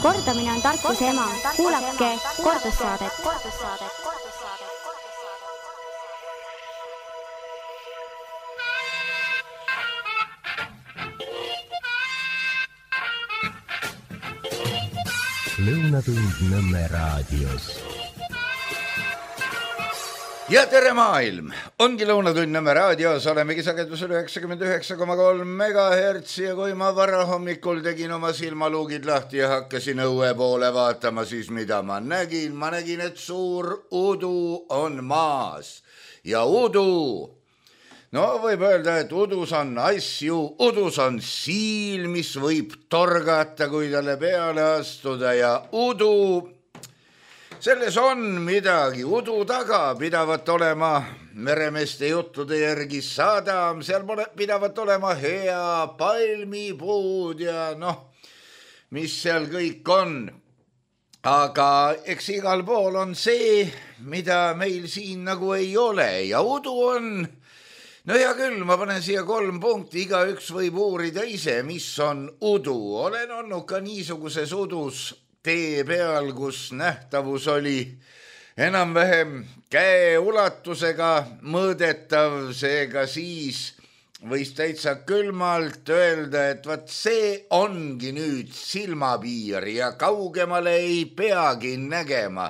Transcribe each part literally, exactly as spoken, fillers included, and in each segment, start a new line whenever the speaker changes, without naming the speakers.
Kordamine on tarkuse ema. Kuulake kordussaadet.
Lõunatund Nõmme raadios.
Ja tere maailm! Ongi Lõunatund Nõmme raadios, olemegi sagedusel üheksakümmend üheksa koma kolm megahertsi ja kui ma varahommikul tegin oma silmaluugid lahti ja hakkasin õue poole vaatama, siis mida ma nägin? Ma nägin, et suur udu on maas ja udu, no võib öelda, et udus on asju, udus on siil, mis võib torgata, kui talle peale astuda ja udu, selles on midagi, udu taga pidavat olema meremeeste juttude järgi sadam, seal pidavat olema hea palmipuud ja noh, mis seal kõik on. Aga eks igal pool on see, mida meil siin nagu ei ole ja udu on, no hea küll, ma panen siia kolm punkti, igaüks võib uurida ise, mis on udu. Olen olnud ka niisuguses udus tee peal, kus nähtavus oli enam-vähem käe ulatusega mõõdetav, seega siis võis täitsa külmalt öelda, et vaat see ongi nüüd silmapiir ja kaugemale ei peagi nägema.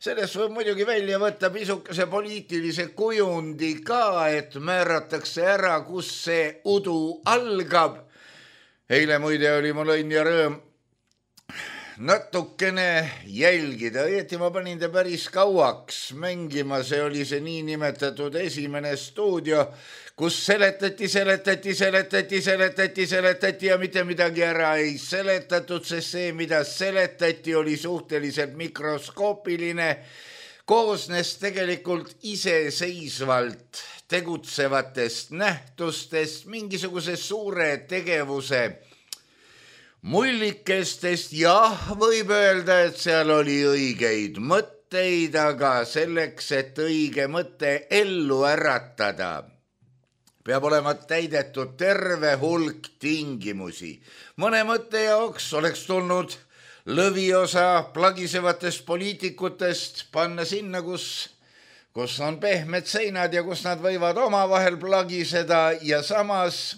Sellest võib muidugi välja võtta pisukese poliitilise kujundi ka, et määratakse ära, kus see udu algab. Eile muide oli mul õnn ja rõõm natukene jälgida, õieti ma panin ta päris kauaks mängima, see oli see niinimetatud esimene stuudio, kus seletati, seletati, seletati, seletati, seletati ja mitte midagi ära ei seletatud, sest see, mida seletati, oli suhteliselt mikroskoopiline, koosnes tegelikult iseseisvalt tegutsevatest nähtustest, mingisuguse suure tegevuse mullikestest, jah, võib öelda, et seal oli õigeid mõtteid, aga selleks, et õige mõte ellu äratada, peab olema täidetud terve hulk tingimusi. Mõne mõtte jaoks oleks tulnud lõviosa plagisevatest poliitikutest panna sinna, kus, kus on pehmed seinad ja kus nad võivad omavahel plagiseda ja samas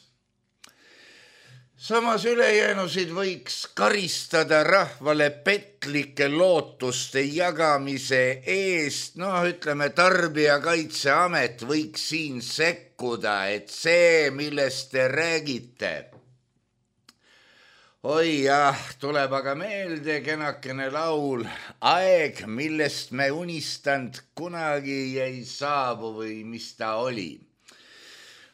Samas ülejäänusid võiks karistada rahvale petlike lootuste jagamise eest, noh ütleme, Tarbijakaitseamet võiks siin sekkuda, et see, millest te räägite. Oi jah, tuleb aga meelde kenakene laul, aeg, millest me unistanud kunagi ei saabu või mis ta oli.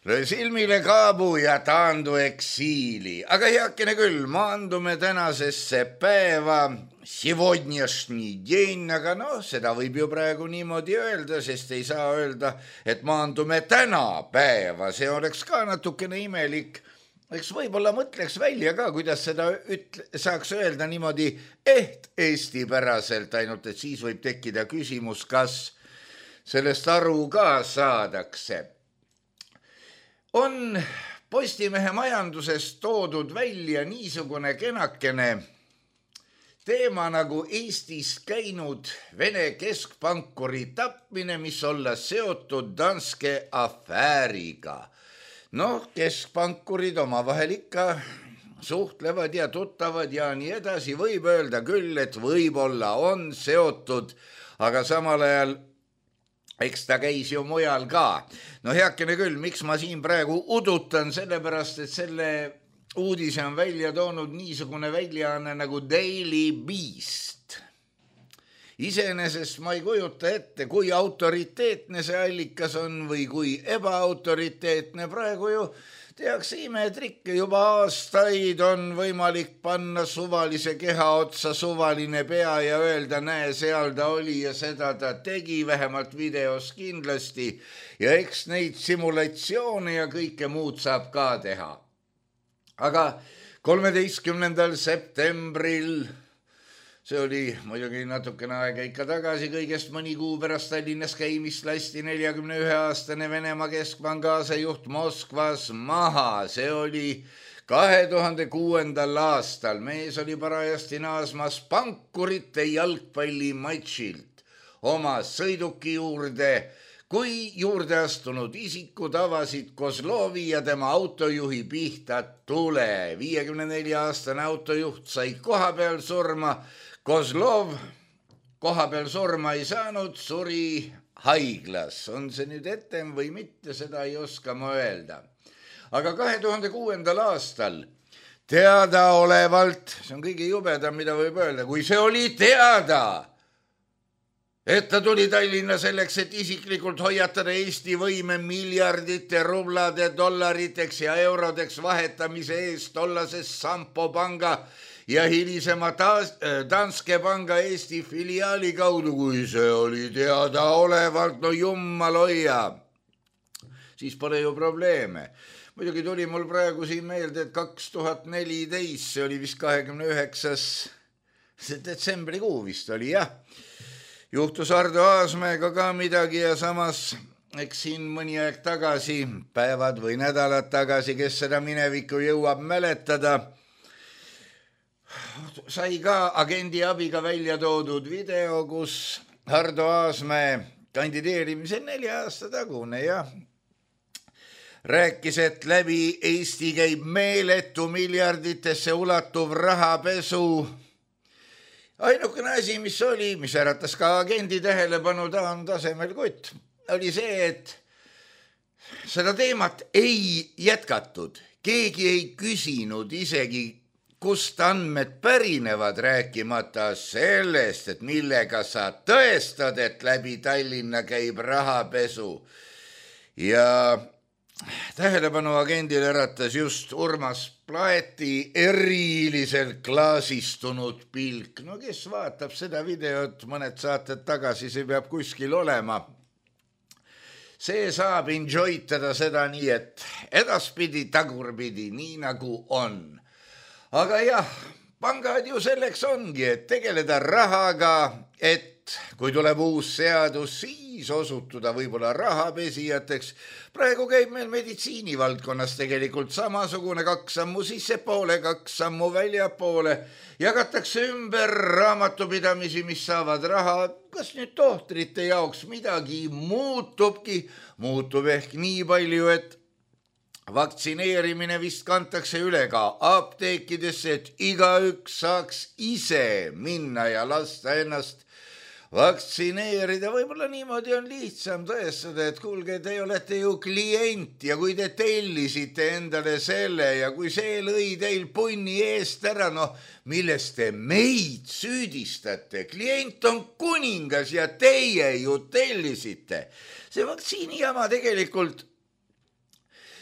Löö silmile kaabu ja taandu eksiili. Aga heakene küll, maandume tänasesse päeva, сегодняшний день, aga noh, seda võib ju praegu niimoodi öelda, sest ei saa öelda, et maandume täna päeva. See oleks ka natukene imelik. Eks võib-olla mõtleks välja ka, kuidas seda ütle, saaks öelda niimoodi eht eestipäraselt, ainult et siis võib tekkida küsimus, kas sellest aru ka saadakse. On Postimehe majandusest toodud välja niisugune kenakene teema nagu Eestis käinud Vene keskpankuri tapmine, mis olla seotud Danske afääriga. Noh, keskpankurid omavahel ikka suhtlevad ja tuttavad ja nii edasi. Võib öelda küll, et võib-olla on seotud, aga samal ajal eks ta käis ju mujal ka. No heakene küll, miks ma siin praegu udutan, sellepärast, et selle uudise on välja toonud niisugune väljaanne nagu Daily Beast. Iseenesest ma ei kujuta ette, kui autoriteetne see allikas on või kui ebaautoriteetne. Praegu ju tehakse imetrikke, juba aastaid on võimalik panna suvalise keha otsa suvaline pea ja öelda, näe, seal ta oli ja seda ta tegi, vähemalt videos kindlasti. Ja eks neid simulatsioone ja kõike muud saab ka teha. Aga kolmeteistkümnendal septembril, see oli muidugi natukene aega ikka tagasi, kõigest mõni kuu pärast Tallinnas käimist lasti neljakümne ühe aastane Venemaa keskpanga asejuht Moskvas maha. See oli kahe tuhande kuuendal aastal mees oli parajasti naasmas pankurite jalgpallimatšilt oma sõiduki juurde, kui juurde astunud isikud avasid Kozlovi ja tema autojuhi pihta tule. viiekümne nelja aastane autojuht sai koha peal surma. Kozlov koha peal surma ei saanud, suri haiglas. On see nüüd etem või mitte, seda ei oska ma öelda. Aga kahe tuhande kuuendal aastal teadaolevalt, see on kõige jubedam, mida võib öelda, kui see oli teada, et ta tuli Tallinna selleks, et isiklikult hoiatada Eesti võime miljardite rublade dollariteks ja eurodeks vahetamise eest tollases Sampo panga ja hilisema Danske panga Eesti filiaali kaudu, kui see oli teadaolevalt, no jummal hoia, siis pole ju probleeme. Muidugi tuli mul praegu siin meelde, et kaks tuhat neliteist, see oli vist kahekümne üheksas detsembrikuu vist oli, jah. Juhtus Ardo Aasmäega ka midagi ja samas, eks siin mõni aeg tagasi, päevad või nädalad tagasi, kes seda minevikku jõuab mäletada, sai ka agendi abiga välja toodud video, kus Ardo Aasmäe kandideerimise nelja aasta tagune, jah, rääkis, et läbi Eesti käib meeletu miljarditesse ulatuv rahapesu. Ainukene asi, mis oli, mis äratas ka agendi tähelepanu, ta on tasemel kutt, oli see, et seda teemat ei jätkatud. Keegi ei küsinud isegi, kust andmed pärinevad, rääkimata sellest, et millega sa tõestad, et läbi Tallinna käib rahapesu. Ja tähelepanu agendile äratas just Urmas Plaeti eriliselt klaasistunud pilk. No kes vaatab seda videot mõned saated tagasi, see peab kuskil olema. See saab enjoytada seda nii, et edaspidi tagurpidi, nii nagu on. Aga jah, pangad ju selleks ongi, et tegeleda rahaga, et kui tuleb uus seadus, siis osutuda võib-olla rahapesijateks. Praegu käib meil meditsiinivaldkonnas tegelikult samasugune, kaks sammu sissepoole, kaks sammu väljapoole. Jagatakse ümber raamatupidamisi, mis saavad raha. Kas nüüd tohtrite jaoks midagi muutubki? Muutub ehk nii palju, et vaktsineerimine vist kantakse üle ka apteekidesse, et igaüks saaks ise minna ja lasta ennast vaktsineerida. Võib-olla niimoodi on lihtsam tõestada, et kuulge, te olete ju klient ja kui te tellisite endale selle ja kui see lõi teil punni eest ära, no millest te meid süüdistate? Klient on kuningas ja teie ju tellisite. See vaktsiinijama tegelikult,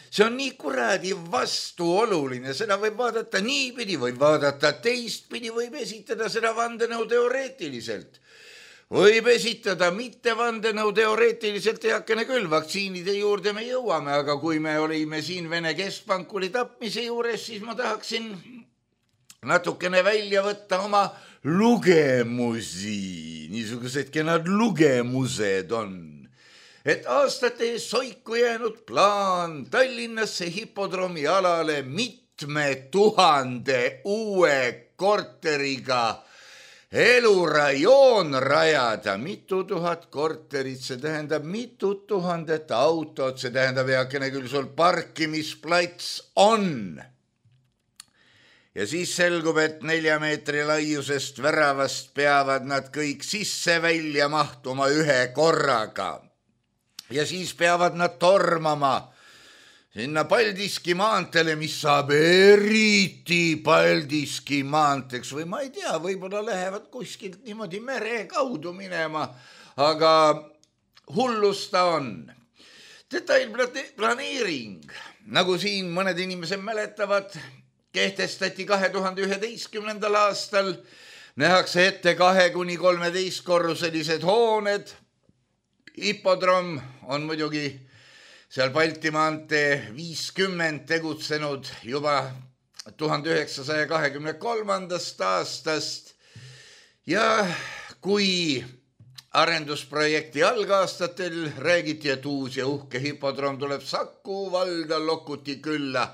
see on nii kuradi vastuoluline, seda võib vaadata niipidi, võib vaadata teistpidi, võib esitada seda vandenõu teoreetiliselt. Võib esitada mitte vandenõu teoreetiliselt heakene küll, vaktsiinide juurde me jõuame, aga kui me olime siin Vene keskpankuri tapmise juures, siis ma tahaksin natukene välja võtta oma lugemusi, niisugused kenad lugemused on. Et aastate soiku jäänud plaan Tallinnasse hipodroomi alale mitme tuhande uue korteriga elurajoon rajada, mitu tuhat korterit, see tähendab mitu tuhandet autot, see tähendab heakene küll sul parkimisplats on. Ja siis selgub, et nelja meetri laiusest väravast peavad nad kõik sisse välja mahtuma ühe korraga. Ja siis peavad nad tormama sinna Paldiski maantele, mis saab eriti Paldiski maanteks või ma ei tea, võib-olla lähevad kuskilt niimoodi mere kaudu minema, aga hullus ta on. Detailplaneering, nagu siin mõned inimesed mäletavad, kehtestati kahe tuhande üheteistkümnendal aastal, nähakse ette kahe kuni kolmeteist korruselised hooned. Hipodroom on muidugi seal Balti maantee viiskümmend tegutsenud juba tuhande üheksasaja kahekümne kolmandast aastast ja kui arendusprojekti algaastatel räägiti, et uus ja uhke hipodroom tuleb Saku valda Lokuti külla,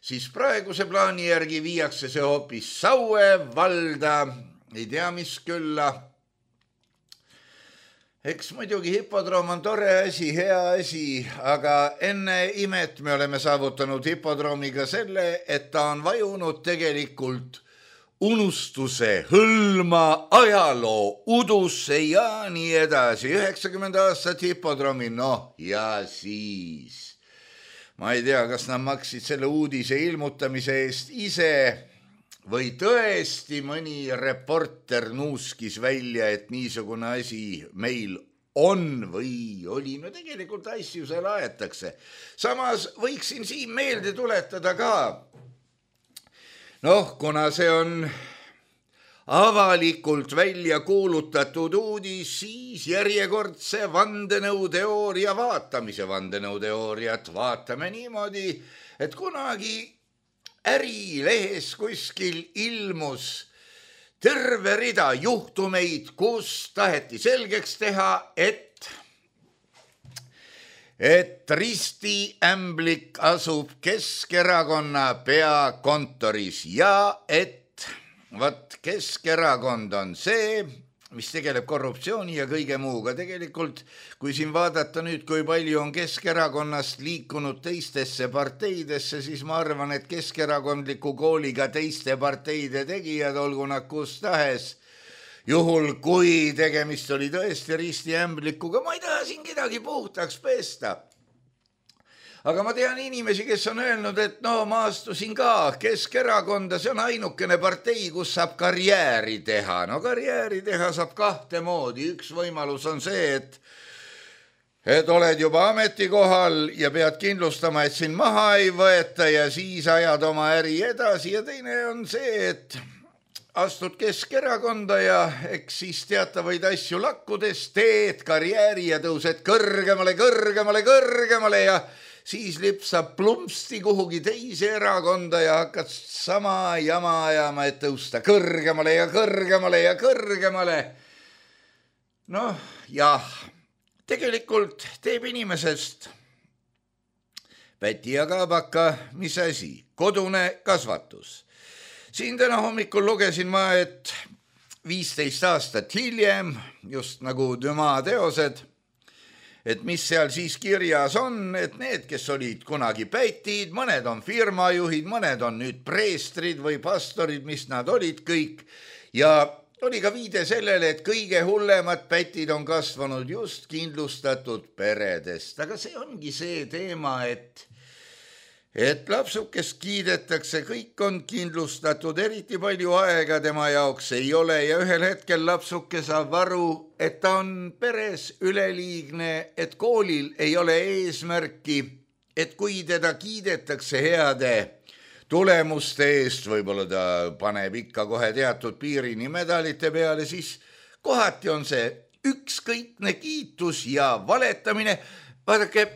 siis praeguse plaani järgi viiakse see hoopis Saue valda, ei tea mis külla. Eks muidugi hipodroom on tore asi, hea asi, aga enne imet me oleme saavutanud hipodroomiga selle, et ta on vajunud tegelikult unustuse hõlma, ajaloo udusse ja nii edasi. üheksakümmend aastat hipodroomi, noh ja siis. Ma ei tea, kas nad maksid selle uudise ilmutamise eest ise või tõesti mõni reporter nuuskis välja, et niisugune asi meil on või oli. No tegelikult asju seal aetakse. Samas võiksin siin meelde tuletada ka, noh, kuna see on avalikult välja kuulutatud uudis, siis järjekordse vandenõuteooria vaatamise vandenõuteooriat vaatame niimoodi, et kunagi ärilehes kuskil ilmus terve rida juhtumeid, kus taheti selgeks teha, et et Risti Ämblik asub Keskerakonna peakontoris ja et vat Keskerakond on see, mis tegeleb korruptsiooni ja kõige muuga. Tegelikult, kui siin vaadata nüüd, kui palju on Keskerakonnast liikunud teistesse parteidesse, siis ma arvan, et keskerakondliku kooliga teiste parteide tegijad, olgu nad kus tahes, juhul kui tegemist oli tõesti Risti Ämblikuga, ma ei taha siin kedagi puhtaks pesta. Aga ma tean inimesi, kes on öelnud, et no ma astusin ka Keskerakonda, see on ainukene partei, kus saab karjääri teha. No karjääri teha saab kahte moodi. Üks võimalus on see, et et oled juba ametikohal ja pead kindlustama, et sind maha ei võeta ja siis ajad oma äri edasi. Ja teine on see, et astud Keskerakonda ja eks siis teatavaid asju lakkudes teed karjääri ja tõused kõrgemale, kõrgemale, kõrgemale ja siis lipsab plumpsti kuhugi teise erakonda ja hakkad sama jama ajama, et tõusta kõrgemale ja kõrgemale ja kõrgemale. Noh, jah, tegelikult teeb inimesest päti ja kaabaka, mis asi, kodune kasvatus. Siin täna hommikul lugesin ma, et viisteist aastat hiljem, just nagu Dumas teosed, et mis seal siis kirjas on, et need, kes olid kunagi pätid, mõned on firmajuhid, mõned on nüüd preestrid või pastorid, mis nad olid kõik. Ja oli ka viide sellele, et kõige hullemad pätid on kasvanud just kindlustatud peredest. Aga see ongi see teema, et et lapsukest kiidetakse, kõik on kindlustatud, eriti palju aega tema jaoks ei ole ja ühel hetkel lapsuke saab aru, et ta on peres üleliigne, et koolil ei ole eesmärki, et kui teda kiidetakse heade tulemuste eest, võib-olla ta paneb ikka kohe teatud piirini medalite peale, siis kohati on see ükskõikne kiitus ja valetamine. Vaadake,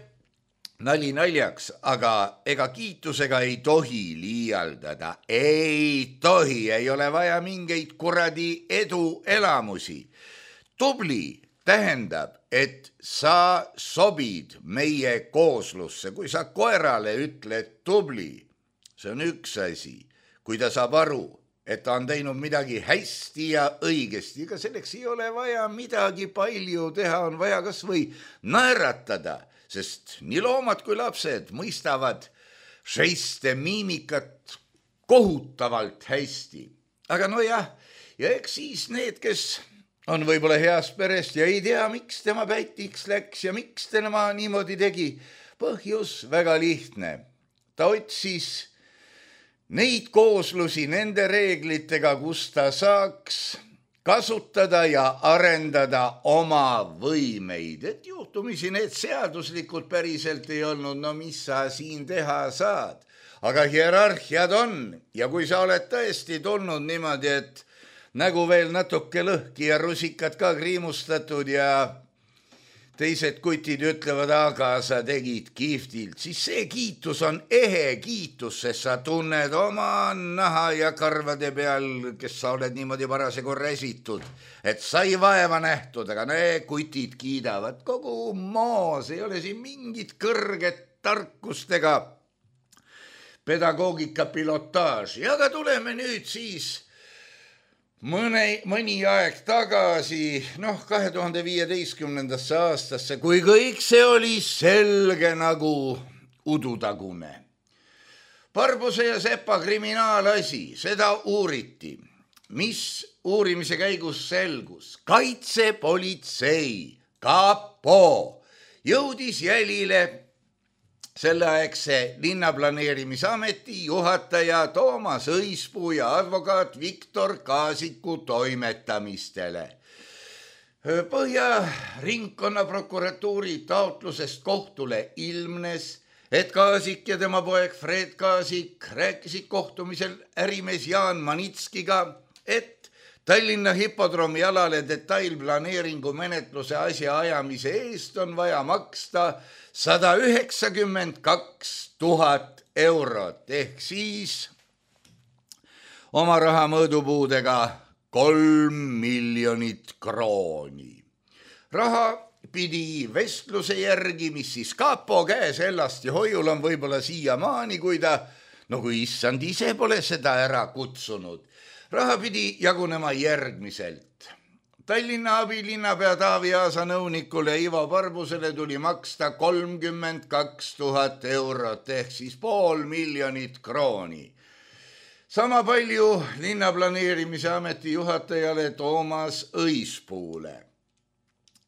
nali naljaks, aga ega kiitusega ei tohi liialdada. Ei tohi, ei ole vaja mingeid kuradi eduelamusi. Tubli tähendab, et sa sobid meie kooslusse. Kui sa koerale ütled tubli, see on üks asi. Kui ta saab aru, et ta on teinud midagi hästi ja õigesti, ega selleks ei ole vaja midagi palju teha, on vaja kas või naeratada, sest nii loomad kui lapsed mõistavad žeste miimikat kohutavalt hästi. Aga no jah, ja eks siis need, kes on võib-olla heast perest ja ei tea, miks tema pätiks läks ja miks tema niimoodi tegi. Põhjus väga lihtne. Ta otsis neid kooslusi nende reeglitega, kus ta saaks kasutada ja arendada oma võimeid. Et juhtumisi need seaduslikud päriselt ei olnud, no mis sa siin teha saad. Aga hierarhiad on ja kui sa oled tõesti tulnud niimoodi, et nägu veel natuke lõhki ja rusikad ka kriimustatud ja teised kutid ütlevad, aga sa tegid kihvtilt, siis see kiitus on ehe kiitus, sest sa tunned oma naha ja karvade peal, kes sa oled niimoodi parasjagu räsitud, et sai vaeva nähtud, aga need kutid kiidavad kogu moos, ei ole siin mingit kõrget tarkust ega pedagoogika pilotaaži, aga tuleme nüüd siis mõne, mõni aeg tagasi, noh, kahe tuhande viieteistkümnendasse aastasse, kui kõik see oli selge nagu udutagune. Barbuse ja Sepa kriminaalasi, seda uuriti. Mis uurimise käigus selgus? Kaitsepolitsei, kapo, jõudis jälile selleaegse linnaplaneerimisameti juhataja Toomas Õispuu ja advokaat Viktor Kaasiku toimetamistele. Põhja ringkonnaprokuratuuri taotlusest kohtule ilmnes, et Kaasik ja tema poeg Fred Kaasik rääkisid kohtumisel ärimees Jaan Manitskiga, et Tallinna hipodroomi alale detailplaneeringu menetluse asja ajamise eest on vaja maksta sada üheksakümmend kaks tuhat eurot ehk siis oma raha mõõdupuudega kolm miljonit krooni. Raha pidi vestluse järgi, mis siis kapo käes Ellasti hoiul on võib-olla siiamaani, kui ta, no kui issand ise pole seda ära kutsunud. Raha pidi jagunema järgmiselt. Tallinna abilinnapea Taavi Aasa nõunikule Ivo Barbusele tuli maksta kolmkümmend kaks tuhat eurot ehk siis pool miljonit krooni. Sama palju linnaplaneerimise ameti juhatajale Toomas Õispuule.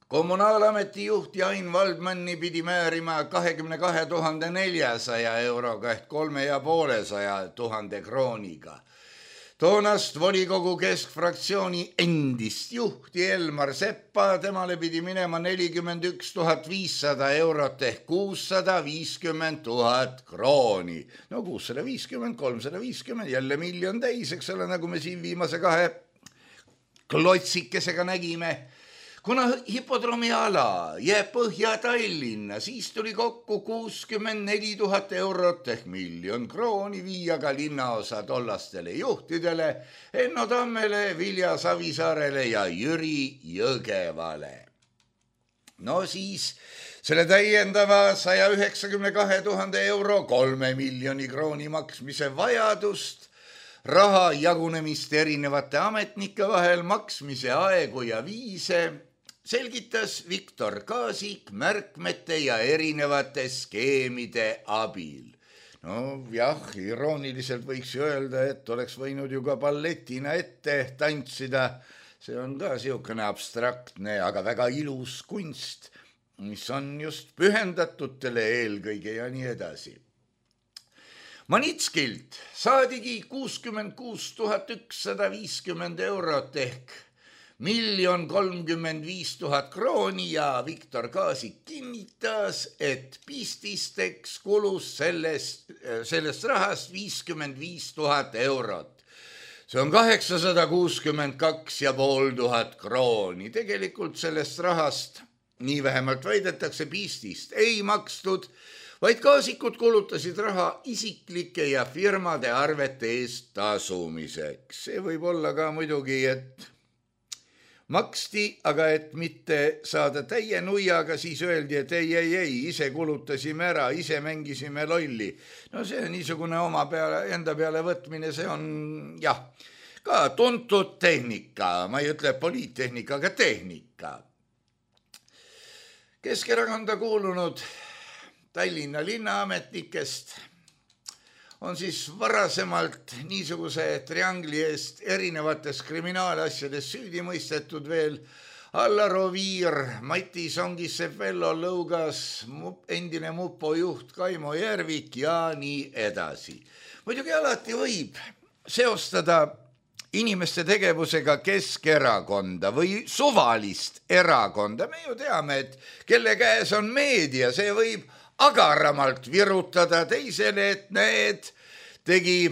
Kommunaalameti juht Jain Valdmanni pidi määrima kahekümne kahe tuhande neljasaja euroga ehk kolme ja poolesaja tuhande krooniga. Toonast volikogu keskfraktsiooni endist juhti Elmar Seppa, temale pidi minema nelikümmend üks tuhat viissada eurot ehk kuussada viiskümmend tuhat krooni. No kuussada viiskümmend, kolmsada viiskümmend, jälle miljon täis, eks ole, nagu me siin viimase kahe klotsikesega nägime. Kuna hipodroomi ala jääb Põhja-Tallinna, siis tuli kokku kuuskümmend neli tuhat eurot ehk miljon krooni viia ka linnaosa tollastele juhtidele, Enno Tammele, Vilja Savisaarele ja Jüri Jõgevale. No siis selle täiendava saja üheksakümne kahe tuhande euro kolme miljoni krooni maksmise vajadust, raha jagunemist erinevate ametnike vahel, maksmise aegu ja viise selgitas Viktor Kaasik märkmete ja erinevate skeemide abil. No jah, irooniliselt võiks ju öelda, et oleks võinud ju ka balletina ette tantsida. See on ka siukene abstraktne, aga väga ilus kunst, mis on just pühendatutele eelkõige ja nii edasi. Manitskilt saadigi kuuskümmend kuus tuhat ükssada viiskümmend eurot ehk miljon kolmkümmend viis tuhat krooni ja Viktor Kaasik kinnitas, et pististeks kulus sellest, sellest rahast viiskümmend viis tuhat eurot. See on kaheksasada kuuskümmend kaks ja pool tuhat krooni. Tegelikult sellest rahast, nii vähemalt väidetakse, pistist ei makstud, vaid Kaasikud kulutasid raha isiklike ja firmade arvete eest tasumiseks. See võib olla ka muidugi, et maksti, aga et mitte saada täie nuiaga, siis öeldi, et ei, ei, ei, ise kulutasime ära, ise mängisime lolli. No see niisugune oma peale, enda peale võtmine, see on jah, ka tuntud tehnika, ma ei ütle poliittehnika, aga tehnika. Keskerakonda kuulunud Tallinna linnaametnikest on siis varasemalt niisuguse triangli eest erinevates kriminaalasjades süüdi mõistetud veel Allar Oviir, Mati Songissepp-Vello Lõugas, endine mupo juht Kaimo Järvik ja nii edasi. Muidugi alati võib seostada inimeste tegevusega Keskerakonda või suvalist erakonda. Me ju teame, et kelle käes on meedia, see võib agaramalt virutada teisele, et need tegi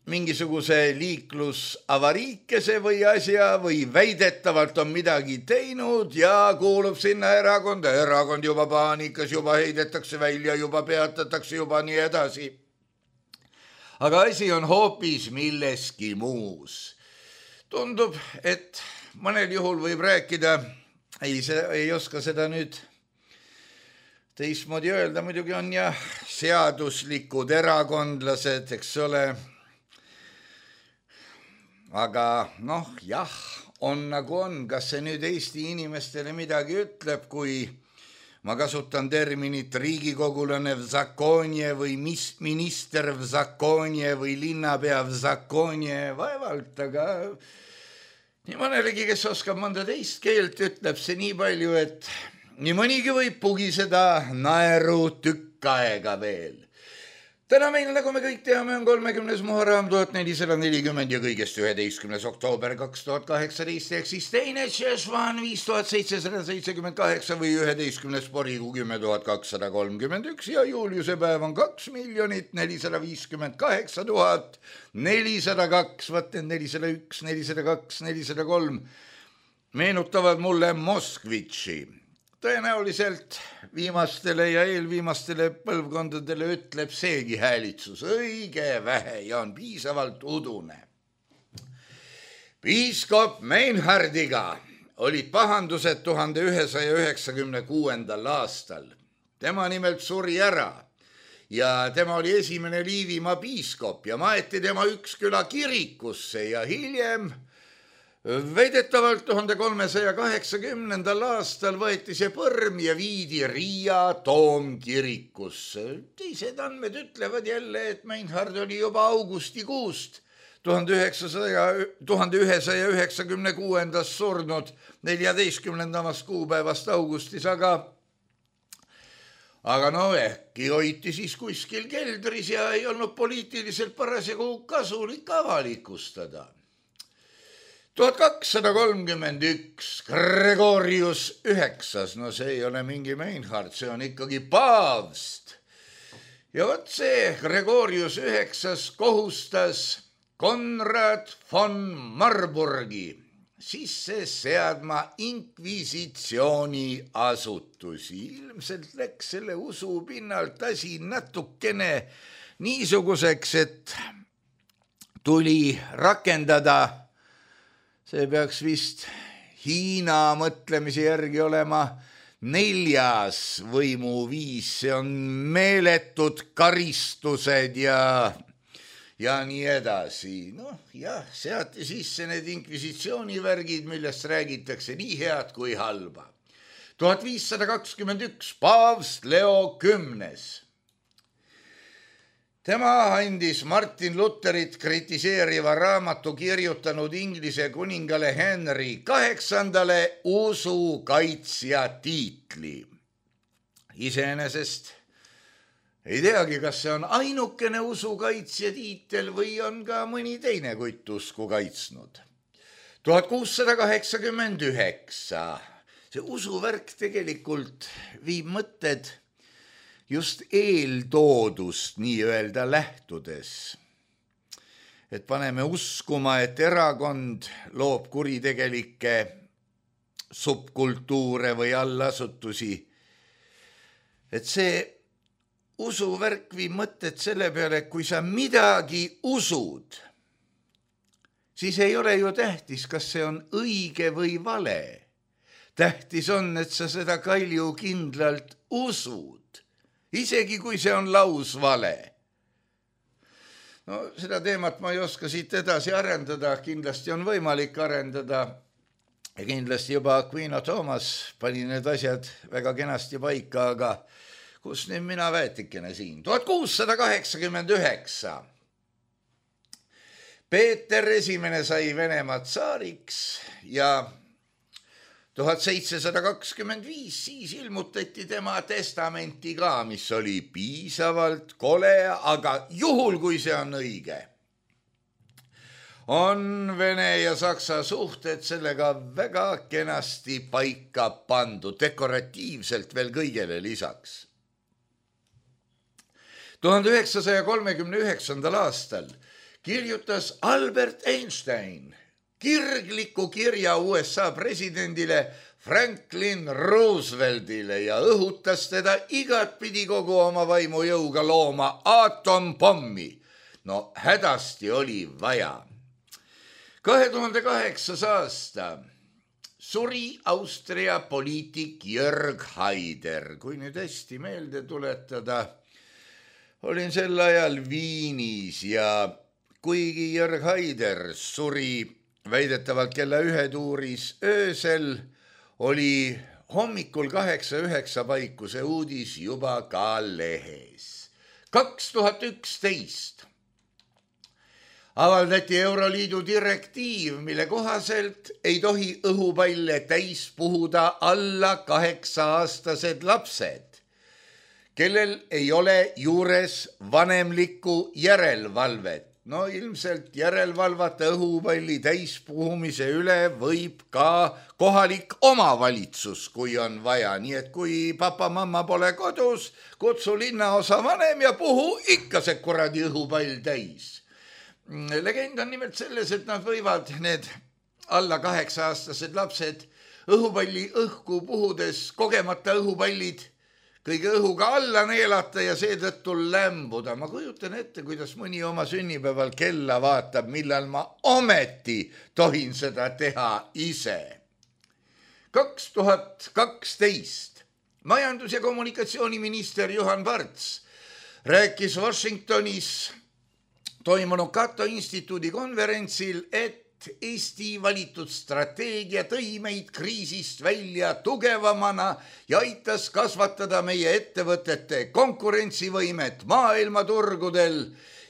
mingisuguse liiklusavariikese või asja või väidetavalt on midagi teinud ja kuulub sinna erakonda. Erakond juba paanikas, juba heidetakse välja, juba peatatakse, juba nii edasi. Aga asi on hoopis milleski muus. Tundub, et mõnel juhul võib rääkida, ei, ei oska seda nüüd teistmoodi öelda muidugi on ja seaduslikud erakondlased, eks ole. Aga noh, jah, on nagu on, kas see nüüd Eesti inimestele midagi ütleb, kui ma kasutan terminit riigikogulane v zakonie või mis minister v zakonie või linnapea v zakonie, vaevalt, aga nii mõnelegi, kes oskab mõnda teist keelt, ütleb see nii palju, et nii mõnigi võib pugiseda naeru tükk aega veel. Täna meil, nagu me kõik teame, on kolmekümnes Muharram tuhat nelisada nelikümmend ja kõigest üheteistkümnes oktoober kaks tuhat kaheksateist ehk siis teine Tšešvan viis tuhat seitsesada seitsekümmend kaheksa või üheteistkümnes Porikuu kümme tuhat kakssada kolmkümmend üks ja juuliuse päev on kaks miljonit nelisada viiskümmend kaheksa tuhat nelisada kaks, vaat need nelisada üks, nelisada kaks, nelisada kolm meenutavad mulle Moskvitši. Tõenäoliselt viimastele ja eelviimastele põlvkondadele ütleb seegi häälitsus õige vähe ja on piisavalt udune. Piiskop Meinhardiga olid pahandused tuhande ühesaja üheksakümne kuuendal aastal. Tema nimelt suri ära ja tema oli esimene Liivimaa piiskop ja maeti tema Üksküla kirikusse ja hiljem väidetavalt tuhande kolmesaja kaheksakümnendal aastal võeti see põrm ja viidi Riia toomkirikusse. Teised andmed ütlevad jälle, et Meinhard oli juba augustikuust tuhande ühesaja üheksakümne kuuendast surnud neljateistkümnendast kuupäevast augustis, aga aga no äkki hoiti siis kuskil keldris ja ei olnud poliitiliselt parasjagu kasulik avalikustada. tuhat kakssada kolmkümmend üks, Gregorius üheksas, no see ei ole mingi Meinhard, see on ikkagi paavst. Ja võt see Gregorius üheksas kohustas Konrad von Marburgi sisse seadma inkvisitsiooni asutusi. Ilmselt läks selle usu pinnalt asi natukene niisuguseks, et tuli rakendada, see peaks vist Hiina mõtlemise järgi olema neljas võimuviis, see on meeletud karistused ja, ja nii edasi. Noh, jah, seati sisse need inkvisitsioonivärgid, millest räägitakse nii head kui halba. tuhat viissada kakskümmend üks, paavst Leo kümnes. Tema andis Martin Lutherit kritiseeriva raamatu kirjutanud Inglise kuningale Henry kaheksandale usukaitsja tiitli. Iseenesest ei teagi, kas see on ainukene usukaitsja tiitel või on ka mõni teine kutt usku kaitsnud. tuhat kuussada kaheksakümmend üheksa. See usuvärk tegelikult viib mõtted just eeltoodust nii-öelda lähtudes. Et paneme uskuma, et erakond loob kuritegelikke subkultuure või allasutusi. Et see usuvärk viib mõtted selle peale, et kui sa midagi usud, siis ei ole ju tähtis, kas see on õige või vale. Tähtis on, et sa seda kalju kindlalt usud. Isegi kui see on lausvale. No seda teemat ma ei oska siit edasi arendada, kindlasti on võimalik arendada ja kindlasti juba Aquino Thomas pani need asjad väga kenasti paika, aga kus nüüd mina väetikene siin? tuhat kuussada kaheksakümmend üheksa. Peeter esimene sai Venemaa tsaariks ja tuhat seitsesada kakskümmend viis siis ilmutati tema testamenti ka, mis oli piisavalt kole, aga juhul kui see on õige, on Vene ja Saksa suhted sellega väga kenasti paika pandud, dekoratiivselt veel kõigele lisaks. tuhande üheksasaja kolmekümne üheksandal aastal kirjutas Albert Einstein kirgliku kirja U S A presidendile Franklin Rooseveltile ja õhutas teda igatpidi kogu oma vaimujõuga looma aatompommi. No hädasti oli vaja. kahe tuhande kaheksas aasta suri Austria poliitik Jörg Haider. Kui nüüd hästi meelde tuletada, olin sel ajal Viinis ja kuigi Jörg Haider suri väidetavalt kella ühe tuuris öösel, oli hommikul kaheksa üheksa paiku see uudis juba ka lehes. kaks tuhat üksteist avaldati Euroliidu direktiiv, mille kohaselt ei tohi õhupalle täis puhuda alla kaheksa-aastased lapsed, kellel ei ole juures vanemlikku järelevalvet. No ilmselt järelevalvata õhupalli täispuhumise üle võib ka kohalik omavalitsus, kui on vaja. Nii et kui papa-mamma pole kodus, kutsu linnaosa vanem ja puhu ikka see kuradi õhupall täis. Legend on nimelt selles, et nad võivad need alla kaheksa-aastased lapsed õhupalli õhku puhudes kogemata õhupallid kõige õhuga alla neelata ja seetõttu lämbuda. Ma kujutan ette, kuidas mõni oma sünnipäeval kella vaatab, millal ma ometi tohin seda teha ise. kaks tuhat kaksteist majandus- ja kommunikatsiooniminister Juhan Parts rääkis Washingtonis toimunud Cato instituudi konverentsil, et Eesti valitud strateegia tõi meid kriisist välja tugevamana ja aitas kasvatada meie ettevõtete konkurentsivõimet maailmaturgudel.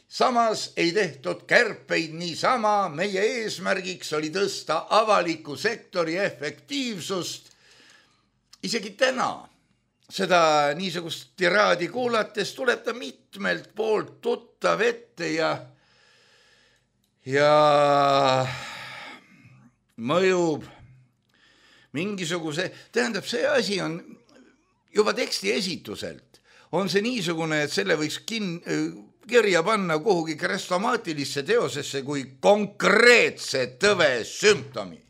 Samas ei tehtud kärpeid niisama, meie eesmärgiks oli tõsta avaliku sektori efektiivsust. Isegi täna seda niisugust tiraadi kuulates tuleb ta mitmelt poolt tuttav ette ja ja mõjub mingisuguse, tähendab, see asi on juba teksti esituselt, on see niisugune, et selle võiks kin, kirja panna kuhugi krestomaatilisse teosesse kui konkreetse tõve sümptomi.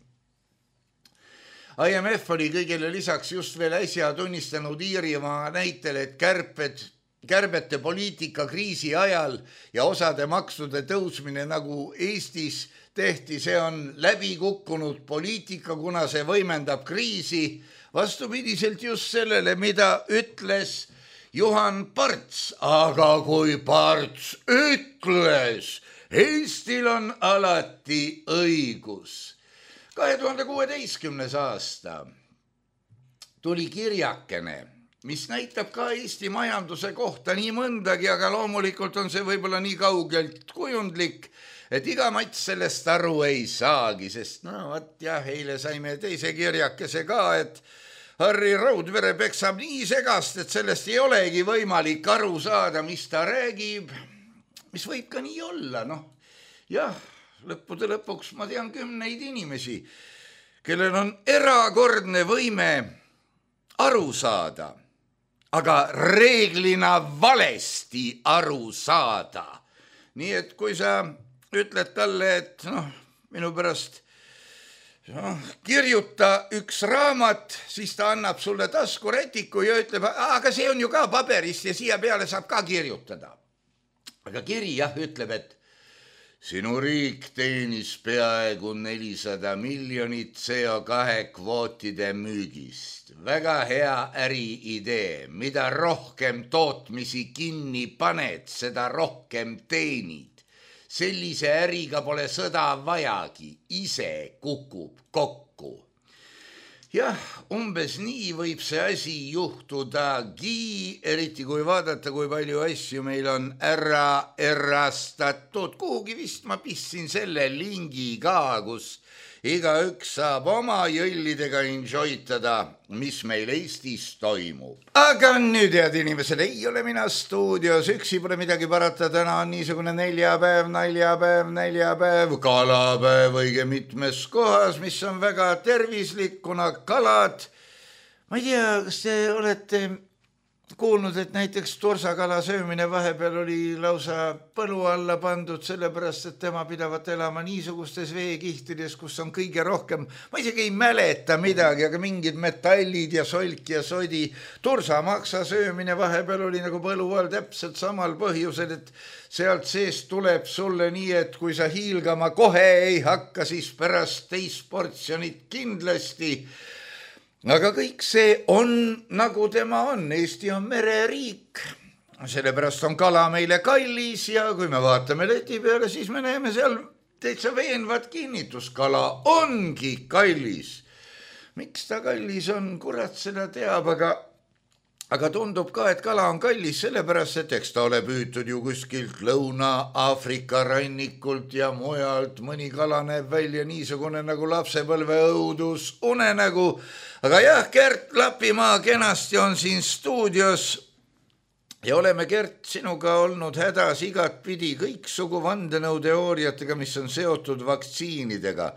I M F oli kõigele lisaks just veel äsja tunnistanud Iirimaa näitel, et kärped kärbete poliitika kriisi ajal ja osade maksude tõusmine nagu Eestis tehti, see on läbi kukkunud poliitika, kuna see võimendab kriisi vastupidiselt just sellele, mida ütles Juhan Parts. Aga kui Parts ütles, Eestil on alati õigus. kahe tuhande kuueteistkümnes aasta tuli kirjakene, mis näitab ka Eesti majanduse kohta nii mõndagi, aga loomulikult on see võib-olla nii kaugelt kujundlik, et iga mats sellest aru ei saagi, sest no võt jah, eile saime teise kirjakese ka, et Harri Raudvere peksab nii segast, et sellest ei olegi võimalik aru saada, mis ta räägib, mis võib ka nii olla, noh jah, lõppude lõpuks ma tean kümneid inimesi, kellel on erakordne võime aru saada, aga reeglina valesti aru saada. Nii et kui sa ütled talle, et noh, minu pärast no, kirjuta üks raamat, siis ta annab sulle taskurätiku ja ütleb, aga see on ju ka paberist ja siia peale saab ka kirjutada. Aga kiri jah ütleb, et sinu riik teenis peaaegu nelisada miljonit C O kahe kvootide müügist. Väga hea äriidee. Mida rohkem tootmisi kinni paned, seda rohkem teenid. Sellise äriga pole sõda vajagi. Ise kukub kokku. Jah, umbes nii võib see asi juhtudagi, eriti kui vaadata, kui palju asju meil on ära erastatud. Kuhugi vist ma pistsin selle lingi ka, kus igaüks saab oma jõllidega enjoytada, mis meil Eestis toimub. Aga nüüd, head inimesed, ei ole mina stuudios, üksi pole midagi parata, täna on niisugune neljapäev, naljapäev, neljapäev, kalapäev õige mitmes kohas, mis on väga tervislik, kuna kalad, ma ei tea, kas te olete kuulnud, et näiteks tursakala söömine vahepeal oli lausa põlu alla pandud, sellepärast, et tema pidavat elama niisugustes veekihtides, kus on kõige rohkem, ma isegi ei mäleta midagi, aga mingid metallid ja solk ja sodi. Tursamaksa söömine vahepeal oli nagu põlu all täpselt samal põhjusel, et sealt seest tuleb sulle nii, et kui sa hiilgama kohe ei hakka, siis pärast teist portsjonit kindlasti. Aga kõik see on, nagu tema on. Eesti on mereriik, sellepärast on kala meile kallis ja kui me vaatame leti peale, siis me näeme seal täitsa veenvat kinnitus. Kala ongi kallis. Miks ta kallis on, kurat seda teab, aga, aga tundub ka, et kala on kallis sellepärast, et eks ta ole püütud ju kuskilt Lõuna-Aafrika rannikult ja mujalt. Mõni kala näeb välja niisugune nagu lapsepõlve õudus unenägu. Aga jah, Gert Lapimaa kenasti on siin stuudios ja oleme, Gert, sinuga olnud hädas igat pidi kõiksugu vandenõuteooriatega, mis on seotud vaktsiinidega.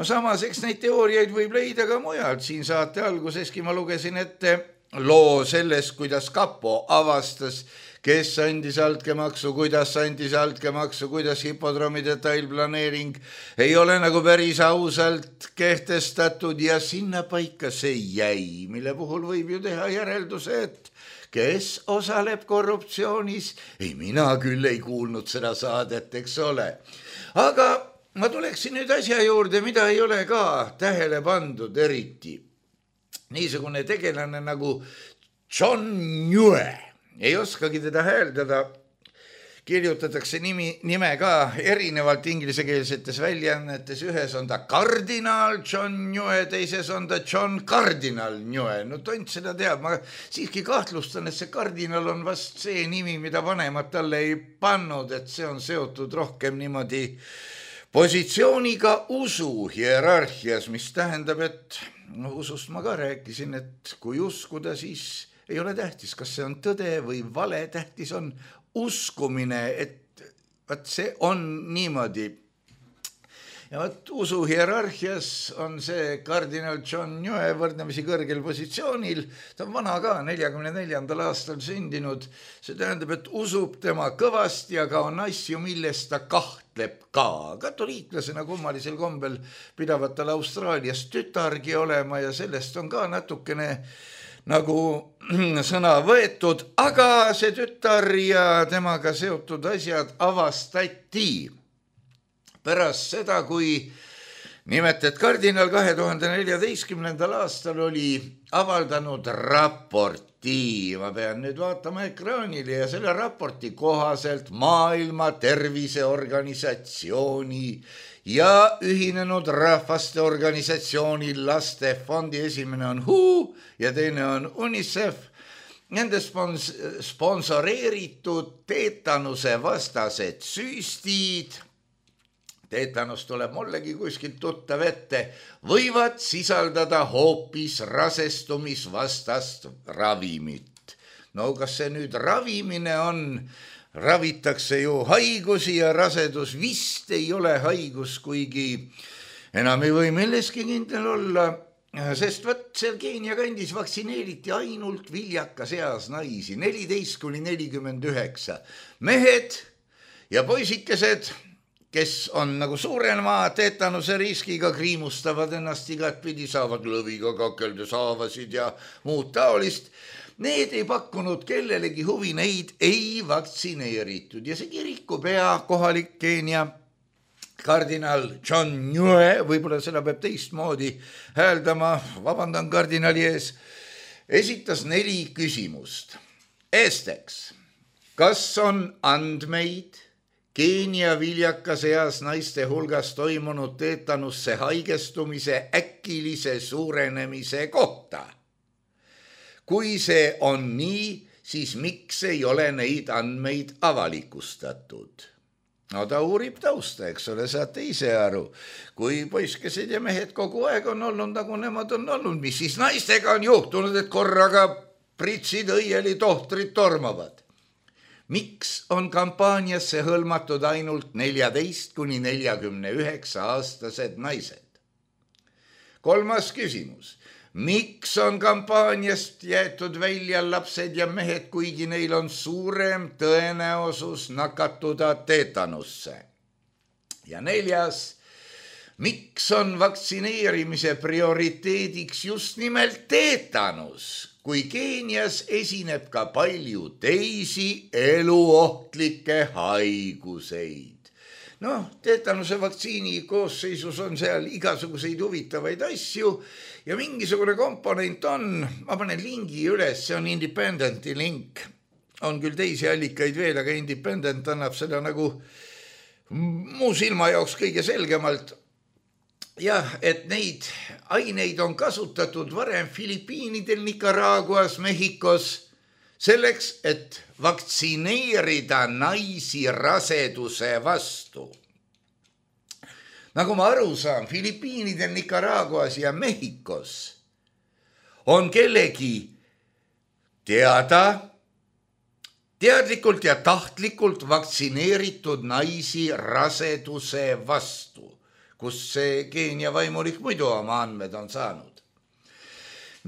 No samas, eks neid teooriaid võib leida ka mujalt. Siin saate alguseski ma lugesin ette loo sellest, kuidas kapo avastas, kes andis altkäemaksu, kuidas andis altkäemaksu, kuidas hipodroomi detailplaneering ei ole nagu päris ausalt kehtestatud ja sinna paika see jäi, mille puhul võib ju teha järelduse, et kes osaleb korruptsioonis, ei mina küll ei kuulnud seda saadet, eks ole. Aga ma tuleksin nüüd asja juurde, mida ei ole ka tähele pandud eriti. Niisugune tegelane nagu John Nue. Ei oskagi teda hääldada, kirjutatakse nimi, nime ka erinevalt inglisekeelsetes väljaannetes, ühes on ta kardinaal John Nue, teises on ta John Cardinal Nue. No tont seda teab, ma siiski kahtlustan, et see kardinal on vast see nimi, mida vanemad talle ei pannud, et see on seotud rohkem niimoodi positsiooniga usu hierarhias, mis tähendab, et no usust ma ka rääkisin, et kui uskuda, siis ei ole tähtis, kas see on tõde või vale, tähtis on uskumine, et vaat see on niimoodi. Ja vaat usu hierarhias on see kardinal John Nue võrdlemisi kõrgel positsioonil, ta on vana ka, neljakümne neljandal aastal sündinud, see tähendab, et usub tema kõvasti, aga on asju, millest ta kahtleb ka. Katoliiklasena kummalisel kombel pidavat tal Austraalias tütargi olema ja sellest on ka natukene nagu sõna võetud, aga see tütar ja temaga seotud asjad avastati pärast seda, kui nimetet kardinal kahe tuhande neljateistkümnendal aastal oli avaldanud raporti. Ma pean nüüd vaatama ekraanile ja selle raporti kohaselt Maailma Terviseorganisatsiooni ja Ühinenud Rahvaste Organisatsiooni lastefondi esimene on W H O ja teine on UNICEF. Nende spons- sponsoreeritud teetanuse vastased süstid, teetanus tuleb mullegi kuskilt tuttav ette, võivad sisaldada hoopis rasestumisvastast ravimit. No kas see nüüd ravimine on? Ravitakse ju haigusi ja rasedus vist ei ole haigus, kuigi enam ei või milleski kindel olla, sest võt seal Keenia kandis vaktsineeriti ainult viljakas eas naisi, neliteist kuni nelikümmend üheksa. Mehed ja poisikesed, kes on nagu suurema teetanuse riskiga, kriimustavad ennast igat pidi, saavad lõviga kakeldes haavasid ja muud taolist. Need ei pakkunud kellelegi huvi, neid ei vaktsineeritud ja see kirikupea kohalik Keenia kardinal John Nue, võib-olla seda peab teistmoodi hääldama, vabandan kardinali ees, esitas neli küsimust. Esteks, kas on andmeid Keenia viljakas eas naiste hulgas toimunud teetanusse haigestumise äkilise suurenemise kohta? Kui see on nii, siis miks ei ole neid andmeid avalikustatud? No ta uurib tausta, eks ole, saate ise aru. Kui poiskesed ja mehed kogu aeg on olnud, nagu nemad on olnud, mis siis naistega on juhtunud, et korraga pritsid õieli tohtrid tormavad? Miks on kampaaniasse hõlmatud ainult neljateist kuni nelikümmend üheksa aastased naised? Kolmas küsimus. miks on kampaaniast jäetud välja lapsed ja mehed, kuigi neil on suurem tõenäosus nakatuda teetanusse. Ja neljas, miks on vaktsineerimise prioriteediks just nimelt teetanus, kui Keenias esineb ka palju teisi eluohtlikke haiguseid. Noh, teetanuse vaktsiini koosseisus on seal igasuguseid huvitavaid asju ja mingisugune komponent on, ma panen lingi üles, see on Independenti link, on küll teisi allikaid veel, aga Independent annab seda nagu muu silma jaoks kõige selgemalt. Jah, et neid aineid on kasutatud varem Filipiinidel, Nicaraguas, Mehhikos, selleks, et vaktsineerida naisi raseduse vastu. Nagu ma aru saan, Filipiinidel, Nicaraguas ja Mehhikos on kellegi teada, teadlikult ja tahtlikult vaktsineeritud naisi raseduse vastu, kus see Keenia vaimulik muidu oma andmed on saanud.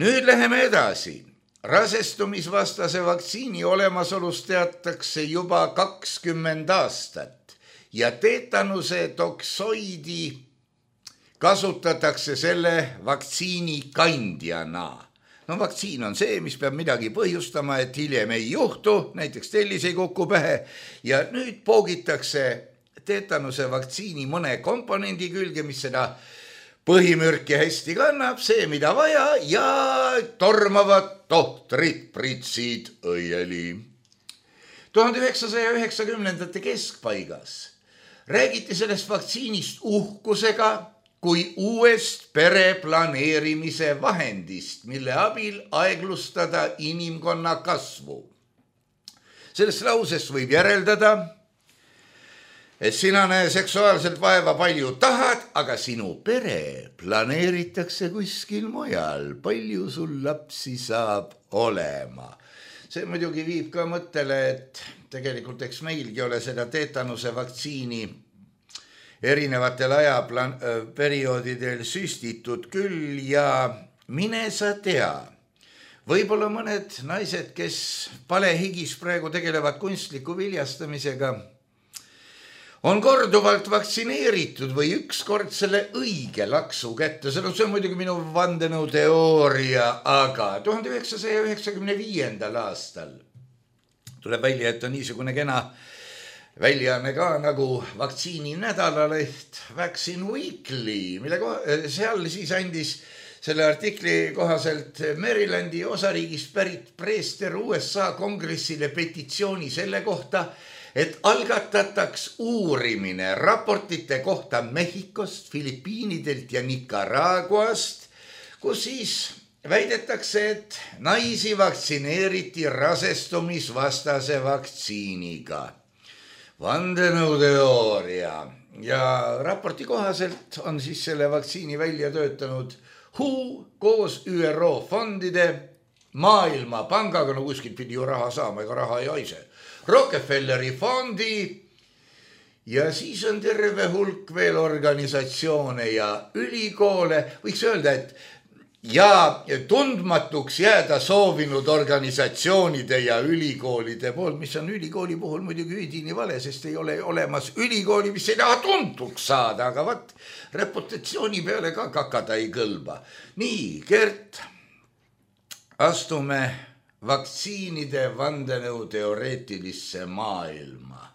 Nüüd läheme edasi. Rasestumisvastase vaktsiini olemasolust teatakse juba kakskümmend aastat ja teetanuse toksoidi kasutatakse selle vaktsiini kandjana. No vaktsiin on see, mis peab midagi põhjustama, et hiljem ei juhtu, näiteks tellis ei kuku pähe ja nüüd poogitakse teetanuse vaktsiini mõne komponendi külge, mis seda põhimürki hästi kannab, see mida vaja ja tormavad tohtrid pritsid õieli. tuhande üheksasaja üheksakümnendate keskpaigas räägiti sellest vaktsiinist uhkusega kui uuest pereplaneerimise vahendist, mille abil aeglustada inimkonna kasvu. Sellest lausest võib järeldada, et sina näe seksuaalselt vaeva palju tahad, aga sinu pere planeeritakse kuskil mujal. Palju sul lapsi saab olema. See muidugi viib ka mõttele, et tegelikult eks meilgi ole seda teetanuse vaktsiini erinevatel ajaperioodidel süstitud küll ja mine sa tea. Võib-olla mõned naised, kes palehigis praegu tegelevad kunstliku viljastamisega, on korduvalt vaktsineeritud või ükskord selle õige laksu kätte. See on muidugi minu vandenõu teooria, aga tuhande üheksasaja üheksakümne viiendal aastal tuleb välja, et on niisugune kena väljaanne ka nagu vaktsiini nädalaleht Vaccine Weekly, mille seal siis andis selle artikli kohaselt Marylandi osariigist pärit preester U S A kongressile petitsiooni selle kohta, et algatataks uurimine raportite kohta Mehhikost, Filipiinidelt ja Nicaraguast, kus siis väidetakse, et naisi vaktsineeriti rasestumisvastase vaktsiiniga. Vandenõuteooria ja raporti kohaselt on siis selle vaktsiini välja töötanud W H O koos Ü R O fondide, Maailmapangaga, no kuskilt pidi ju raha saama, ega raha ei haise, Rockefelleri fondi ja siis on terve hulk veel organisatsioone ja ülikoole, võiks öelda, et ja tundmatuks jääda soovinud organisatsioonide ja ülikoolide poolt, mis on ülikooli puhul muidugi üdini vale, sest ei ole olemas ülikooli, mis ei taha tuntuks saada, aga vat reputatsiooni peale ka kakada ei kõlba. Nii, Gert, astume vaktsiinide vandenõu teoreetilisse maailma.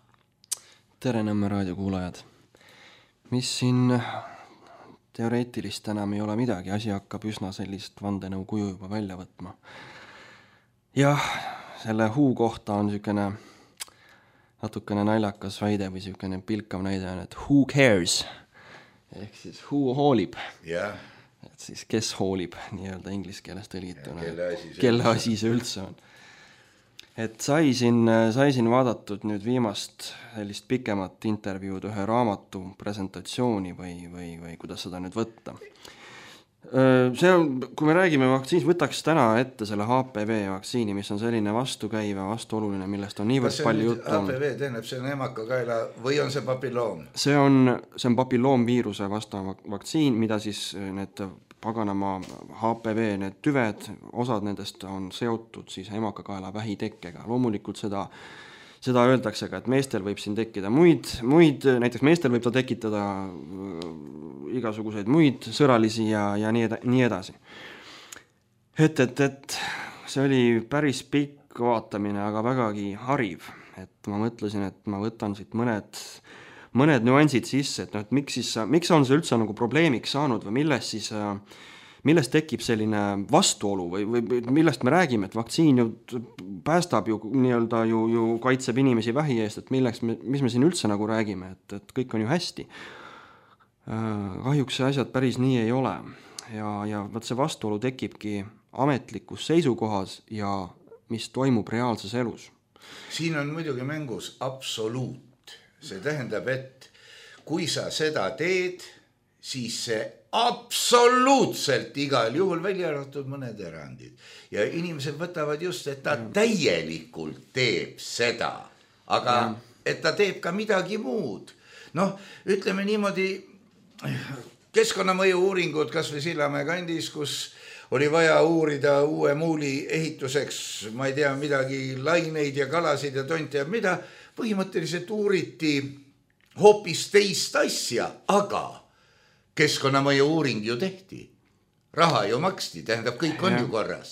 Tere Nõmme raadiokuulajad. Mis siin teoreetilist enam ei ole midagi, asi hakkab üsna sellist vandenõu kuju juba välja võtma. Jah, selle huu kohta on niisugune natukene naljakas väide või niisugune pilkav näide on, et who cares, ehk siis who hoolib.
Jah.
Et siis kes hoolib, nii-öelda inglise keeles tõlgituna,
kelle asi see
kelle asi see üldse on. Et sai siin, sai siin vaadatud nüüd viimast sellist pikemat intervjuud ühe raamatu presentatsiooni või, või, või kuidas seda nüüd võtta. See on, kui me räägime vaktsiinis, võtaks täna ette selle H P V vaktsiini, mis on selline vastukäiva, vastuoluline, millest on niivõrd palju juttu.
H P V tähendab, see on emakakaela või on see papilloom?
See on, see on papilloomviiruse vastav vaktsiin, mida siis need paganama H P V, need tüved, osad nendest on seotud siis emakakaela vähitekkega. Loomulikult seda Seda öeldakse ka, et meestel võib siin tekkida muid, muid, näiteks meestel võib ta tekitada igasuguseid muid sõralisi ja, ja nii, eda, nii edasi. Et, et, et see oli päris pikk vaatamine, aga vägagi hariv. Et ma mõtlesin, et ma võtan siit mõned, mõned nüansid sisse, et, no, et miks, siis, miks on see üldse nagu probleemiks saanud või millest siis... millest tekib selline vastuolu või, või millest me räägime, et vaktsiin ju päästab ju nii-öelda ju, ju kaitseb inimesi vähi eest, et milleks me, mis me siin üldse nagu räägime, et, et kõik on ju hästi. Kahjuks see asjad päris nii ei ole ja, ja võt see vastuolu tekibki ametlikus seisukohas ja mis toimub reaalses elus.
Siin on muidugi mängus absoluut. See tähendab, et kui sa seda teed, siis see absoluutselt igal juhul välja arvatud mõned erandid. Ja inimesed võtavad just, et ta täielikult teeb seda, aga ja. Et ta teeb ka midagi muud. Noh, ütleme niimoodi, keskkonnamõju uuringud kas või Sillamäe kandis, kus oli vaja uurida uue muuli ehituseks, ma ei tea, midagi laineid ja kalasid ja tonti ja mida, põhimõtteliselt uuriti hoopis teist asja, aga keskkonnamõju uuring ju tehti. Raha ju maksti, tähendab, kõik on ja. Ju korras.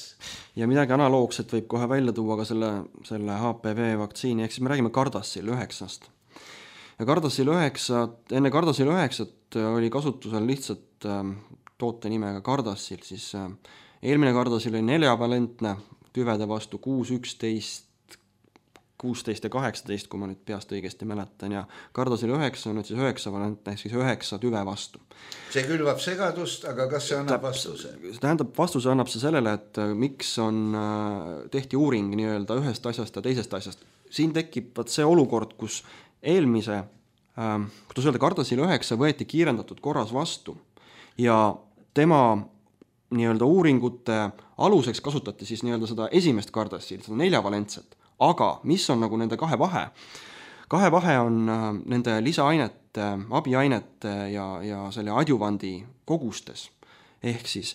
Ja midagi analoogset võib kohe välja tuua ka selle, selle H P V vaktsiini, ehk siis me räägime Gardasil üheksast. Ja Gardasil üheksa, enne Gardasil üheksat oli kasutusel lihtsalt äh, toote nimega Gardasil, siis äh, eelmine Gardasil oli neljavalentne tüvede vastu kuus, üksteist, kuusteist ja kaheksateist, kui ma nüüd peast õigesti mäletan, ja Gardasil üheksa on nüüd siis üheksa valentne, ehk siis üheksa tüve vastu.
See külvab segadust, aga kas see annab vastuse?
Tähendab, vastuse annab see sellele, et miks on, tehti uuring nii-öelda ühest asjast ja teisest asjast. Siin tekib see olukord, kus eelmise, kuidas öelda, Gardasil üheksa võeti kiirendatud korras vastu ja tema nii-öelda uuringute aluseks kasutati siis nii-öelda seda esimest Gardasil, seda neljavalentset. Aga mis on nagu nende kahe vahe? Kahe vahe on nende lisaainete, abiainete ja, ja selle adjuvandi kogustes. Ehk siis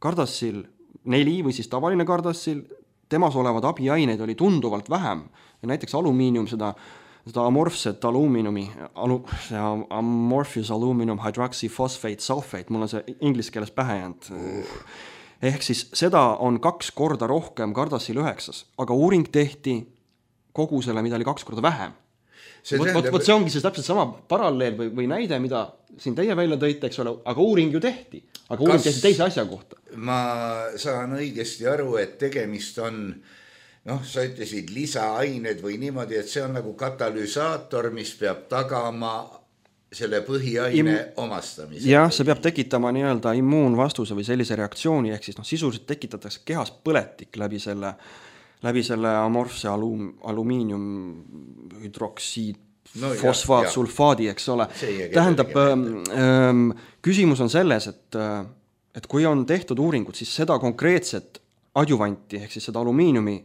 Gardasil neli või siis tavaline Gardasil, temas olevad abiaineid oli tunduvalt vähem. Ja näiteks alumiinium, seda, seda amorfset alumiinumi, alu, amorphous aluminum hydroxyphosphate sulfate, mul on see inglise keeles pähe jäänud. Ehk siis seda on kaks korda rohkem Gardasil üheksas, aga uuring tehti kogusele, mida oli kaks korda vähem. See, võt, tähendab... võt, see ongi see täpselt sama paralleel või, või näide, mida siin teie välja tõite, eks ole, aga uuring ju tehti. Aga uuring Kas... tehti teise asja kohta.
Ma saan õigesti aru, et tegemist on, noh, sa ütlesid lisaained või niimoodi, et see on nagu katalüsaator, mis peab tagama selle põhiaine Im... omastamise.
Jah, see peab tekitama nii-öelda immuunvastuse või sellise reaktsiooni, ehk siis noh, sisuliselt tekitatakse kehas põletik läbi selle, läbi selle amorfse alum, alumiinium hüdroksiid, no, fosfaat, jah, sulfaadi, eks ole. Tähendab, ähm, küsimus on selles, et, et kui on tehtud uuringud, siis seda konkreetset adjuvanti, ehk siis seda alumiiniumi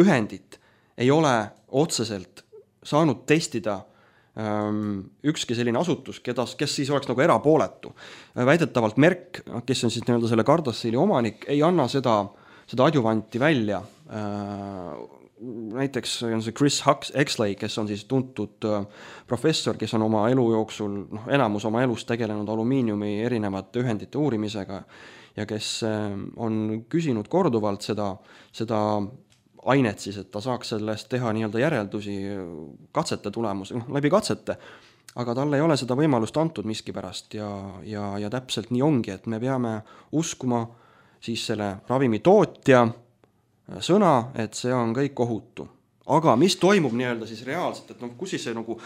ühendit ei ole otseselt saanud testida ükski selline asutus, kedas, kes siis oleks nagu erapooletu. Väidetavalt Merck, kes on siis nii-öelda selle Gardasili omanik, ei anna seda, seda adjuvanti välja. Näiteks on see Chris Exley, kes on siis tuntud professor, kes on oma elu jooksul, noh, enamus oma elust tegelenud alumiiniumi erinevate ühendite uurimisega ja kes on küsinud korduvalt seda, seda ainet siis, et ta saaks sellest teha nii-öelda järeldusi katsete tulemus, noh, läbi katsete, aga talle ei ole seda võimalust antud miskipärast ja, ja, ja täpselt nii ongi, et me peame uskuma siis selle ravimi tootja sõna, et see on kõik ohutu. Aga mis toimub nii-öelda siis reaalselt, et noh, kus siis see nagu,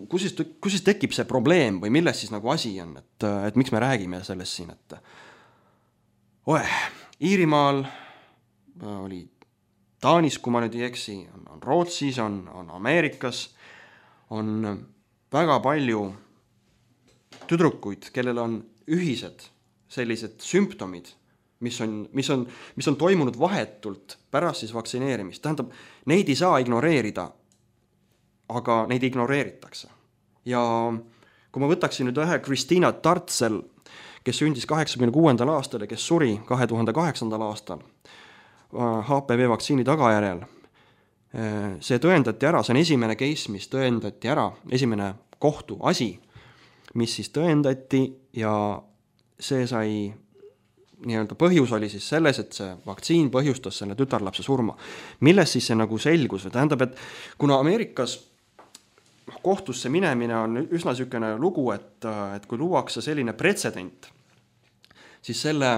kus siis, kus siis tekib see probleem või milles siis nagu asi on, et, et miks me räägime sellest siin, et oeh, Iirimaal oli Taanis, kui ma nüüd ei eksi, on, on Rootsis, on, on Ameerikas, on väga palju tüdrukuid, kellel on ühised sellised sümptomid, mis on, mis on, mis on toimunud vahetult pärast siis vaktsineerimist. Tähendab, neid ei saa ignoreerida, aga neid ignoreeritakse. Ja kui ma võtaksin nüüd ühe Kristina Tartsel, kes sündis kaheksakümne kuuendal aastal ja kes suri kahe tuhande kaheksandal aastal H P V vaktsiini tagajärjel, see tõendati ära, see on esimene case, mis tõendati ära, esimene kohtu asi, mis siis tõendati ja see sai nii-öelda põhjus oli siis selles, et see vaktsiin põhjustas selle tütarlapse surma. Milles siis see nagu selgus? Tähendab, et kuna Ameerikas kohtusse minemine on üsna sükene lugu, et, et kui luuakse selline pretsedent, siis selle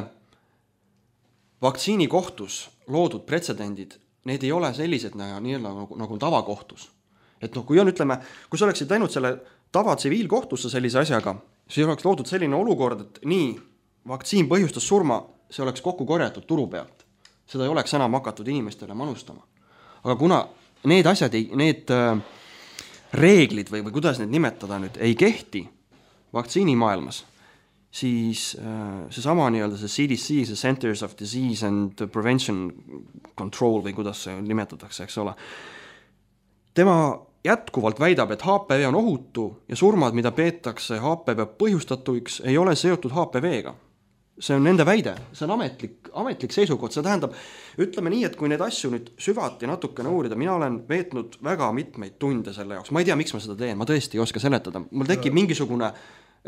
vaktsiini kohtus loodud pretsedendid, need ei ole sellised nii-öelda nagu, nagu tavakohtus. Et noh, kui on, ütleme, kui sa oleksid läinud selle tava tsiviilkohtusse sellise asjaga, siis oleks loodud selline olukord, et nii, vaktsiin põhjustas surma, see oleks kokku korjatud turu pealt. Seda ei oleks enam hakatud inimestele manustama. Aga kuna need asjad, ei, need äh, reeglid või, või kuidas need nimetada nüüd, ei kehti vaktsiinimaailmas, siis äh, see sama nii-öelda see C D C, see Centers of Disease and Prevention Control või kuidas see nimetatakse, eks ole. Tema jätkuvalt väidab, et H P V on ohutu ja surmad, mida peetakse H P V põhjustatuiks, ei ole seotud H P V-ga. See on nende väide, see on ametlik, ametlik seisukord, see tähendab, ütleme nii, et kui need asju nüüd süvati natukene uurida, mina olen veetnud väga mitmeid tunde selle jaoks, ma ei tea, miks ma seda teen, ma tõesti ei oska seletada, mul tekib mingisugune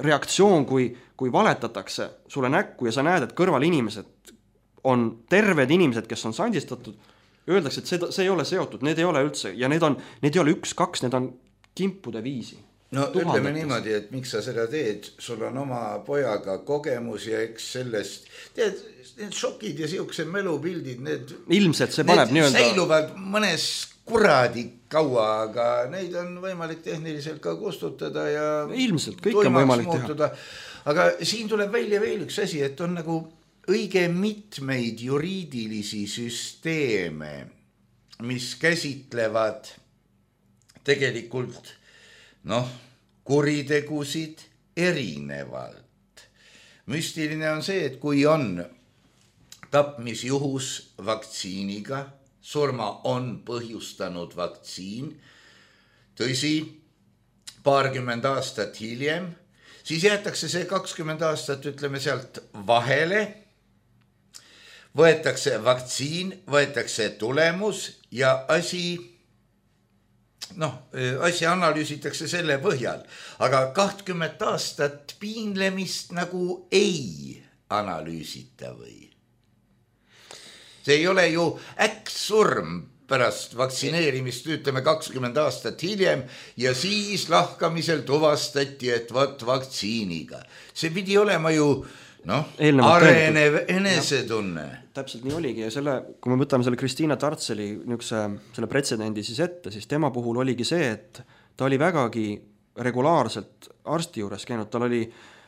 reaktsioon, kui, kui valetatakse sulle näkku ja sa näed, et kõrval inimesed on terved inimesed, kes on sandistatud, öeldakse, et see, see ei ole seotud, need ei ole üldse, ja need, on, need ei ole üks, kaks, need on kimpude viisi.
No ütleme niimoodi, et miks sa seda teed, sul on oma pojaga kogemus ja eks sellest, tead, need šokid ja siukse melupildid, need,
ilmselt see paneb
need
nii-öelda
säiluvad mõnes kuradi kaua, aga neid on võimalik tehniliselt ka kustutada ja
ilmselt kõik on võimalik muutuda.
Teha. Aga siin tuleb välja veel üks asi, et on nagu õige mitmeid juriidilisi süsteeme, mis käsitlevad tegelikult noh, kuritegusid erinevalt. Müstiline on see, et kui on tapmisjuhus vaktsiiniga, surma on põhjustanud vaktsiin, tõsi, paarkümmend aastat hiljem, siis jäetakse see kakskümmend aastat, ütleme sealt vahele, võetakse vaktsiin, võetakse tulemus ja asi noh, asja analüüsitakse selle põhjal, aga kahtkümmend aastat piinlemist nagu ei analüüsita või? See ei ole ju äkksurm pärast vaktsineerimist, ütleme kakskümmend aastat hiljem ja siis lahkamisel tuvastati, et võt vaktsiiniga. See pidi olema ju noh, arenev enesetunne.
Täpselt nii oligi ja selle, kui me võtame selle Kristina Tartseli niisuguse, selle pretsedendi siis ette, siis tema puhul oligi see, et ta oli vägagi regulaarselt arsti juures käinud, tal oli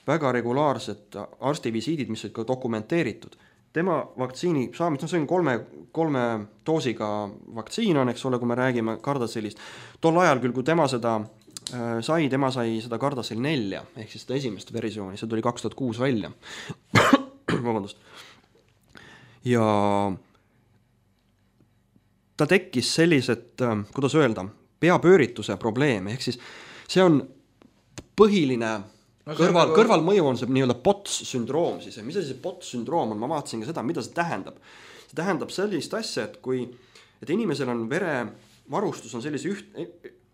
väga regulaarsed arstivisiidid, mis olid ka dokumenteeritud. Tema vaktsiini saamist, no see on kolme, kolme doosiga vaktsiin on, eks ole, kui me räägime Gardasilist. Tol ajal küll, kui tema seda äh, sai, tema sai seda Gardasil nelja, ehk siis seda esimest versiooni, see tuli kaks tuhat kuus välja. Vabandust. Ja ta tekkis sellised, kuidas öelda, peapöörituse probleem, ehk siis see on põhiline no kõrval, nagu... kõrvalmõju on see nii-öelda P O T S-sündroom siis, mis see P O T S-sündroom on, ma vaatasin ka seda, mida see tähendab. See tähendab sellist asja, et kui et inimesel on verevarustus on sellise üht,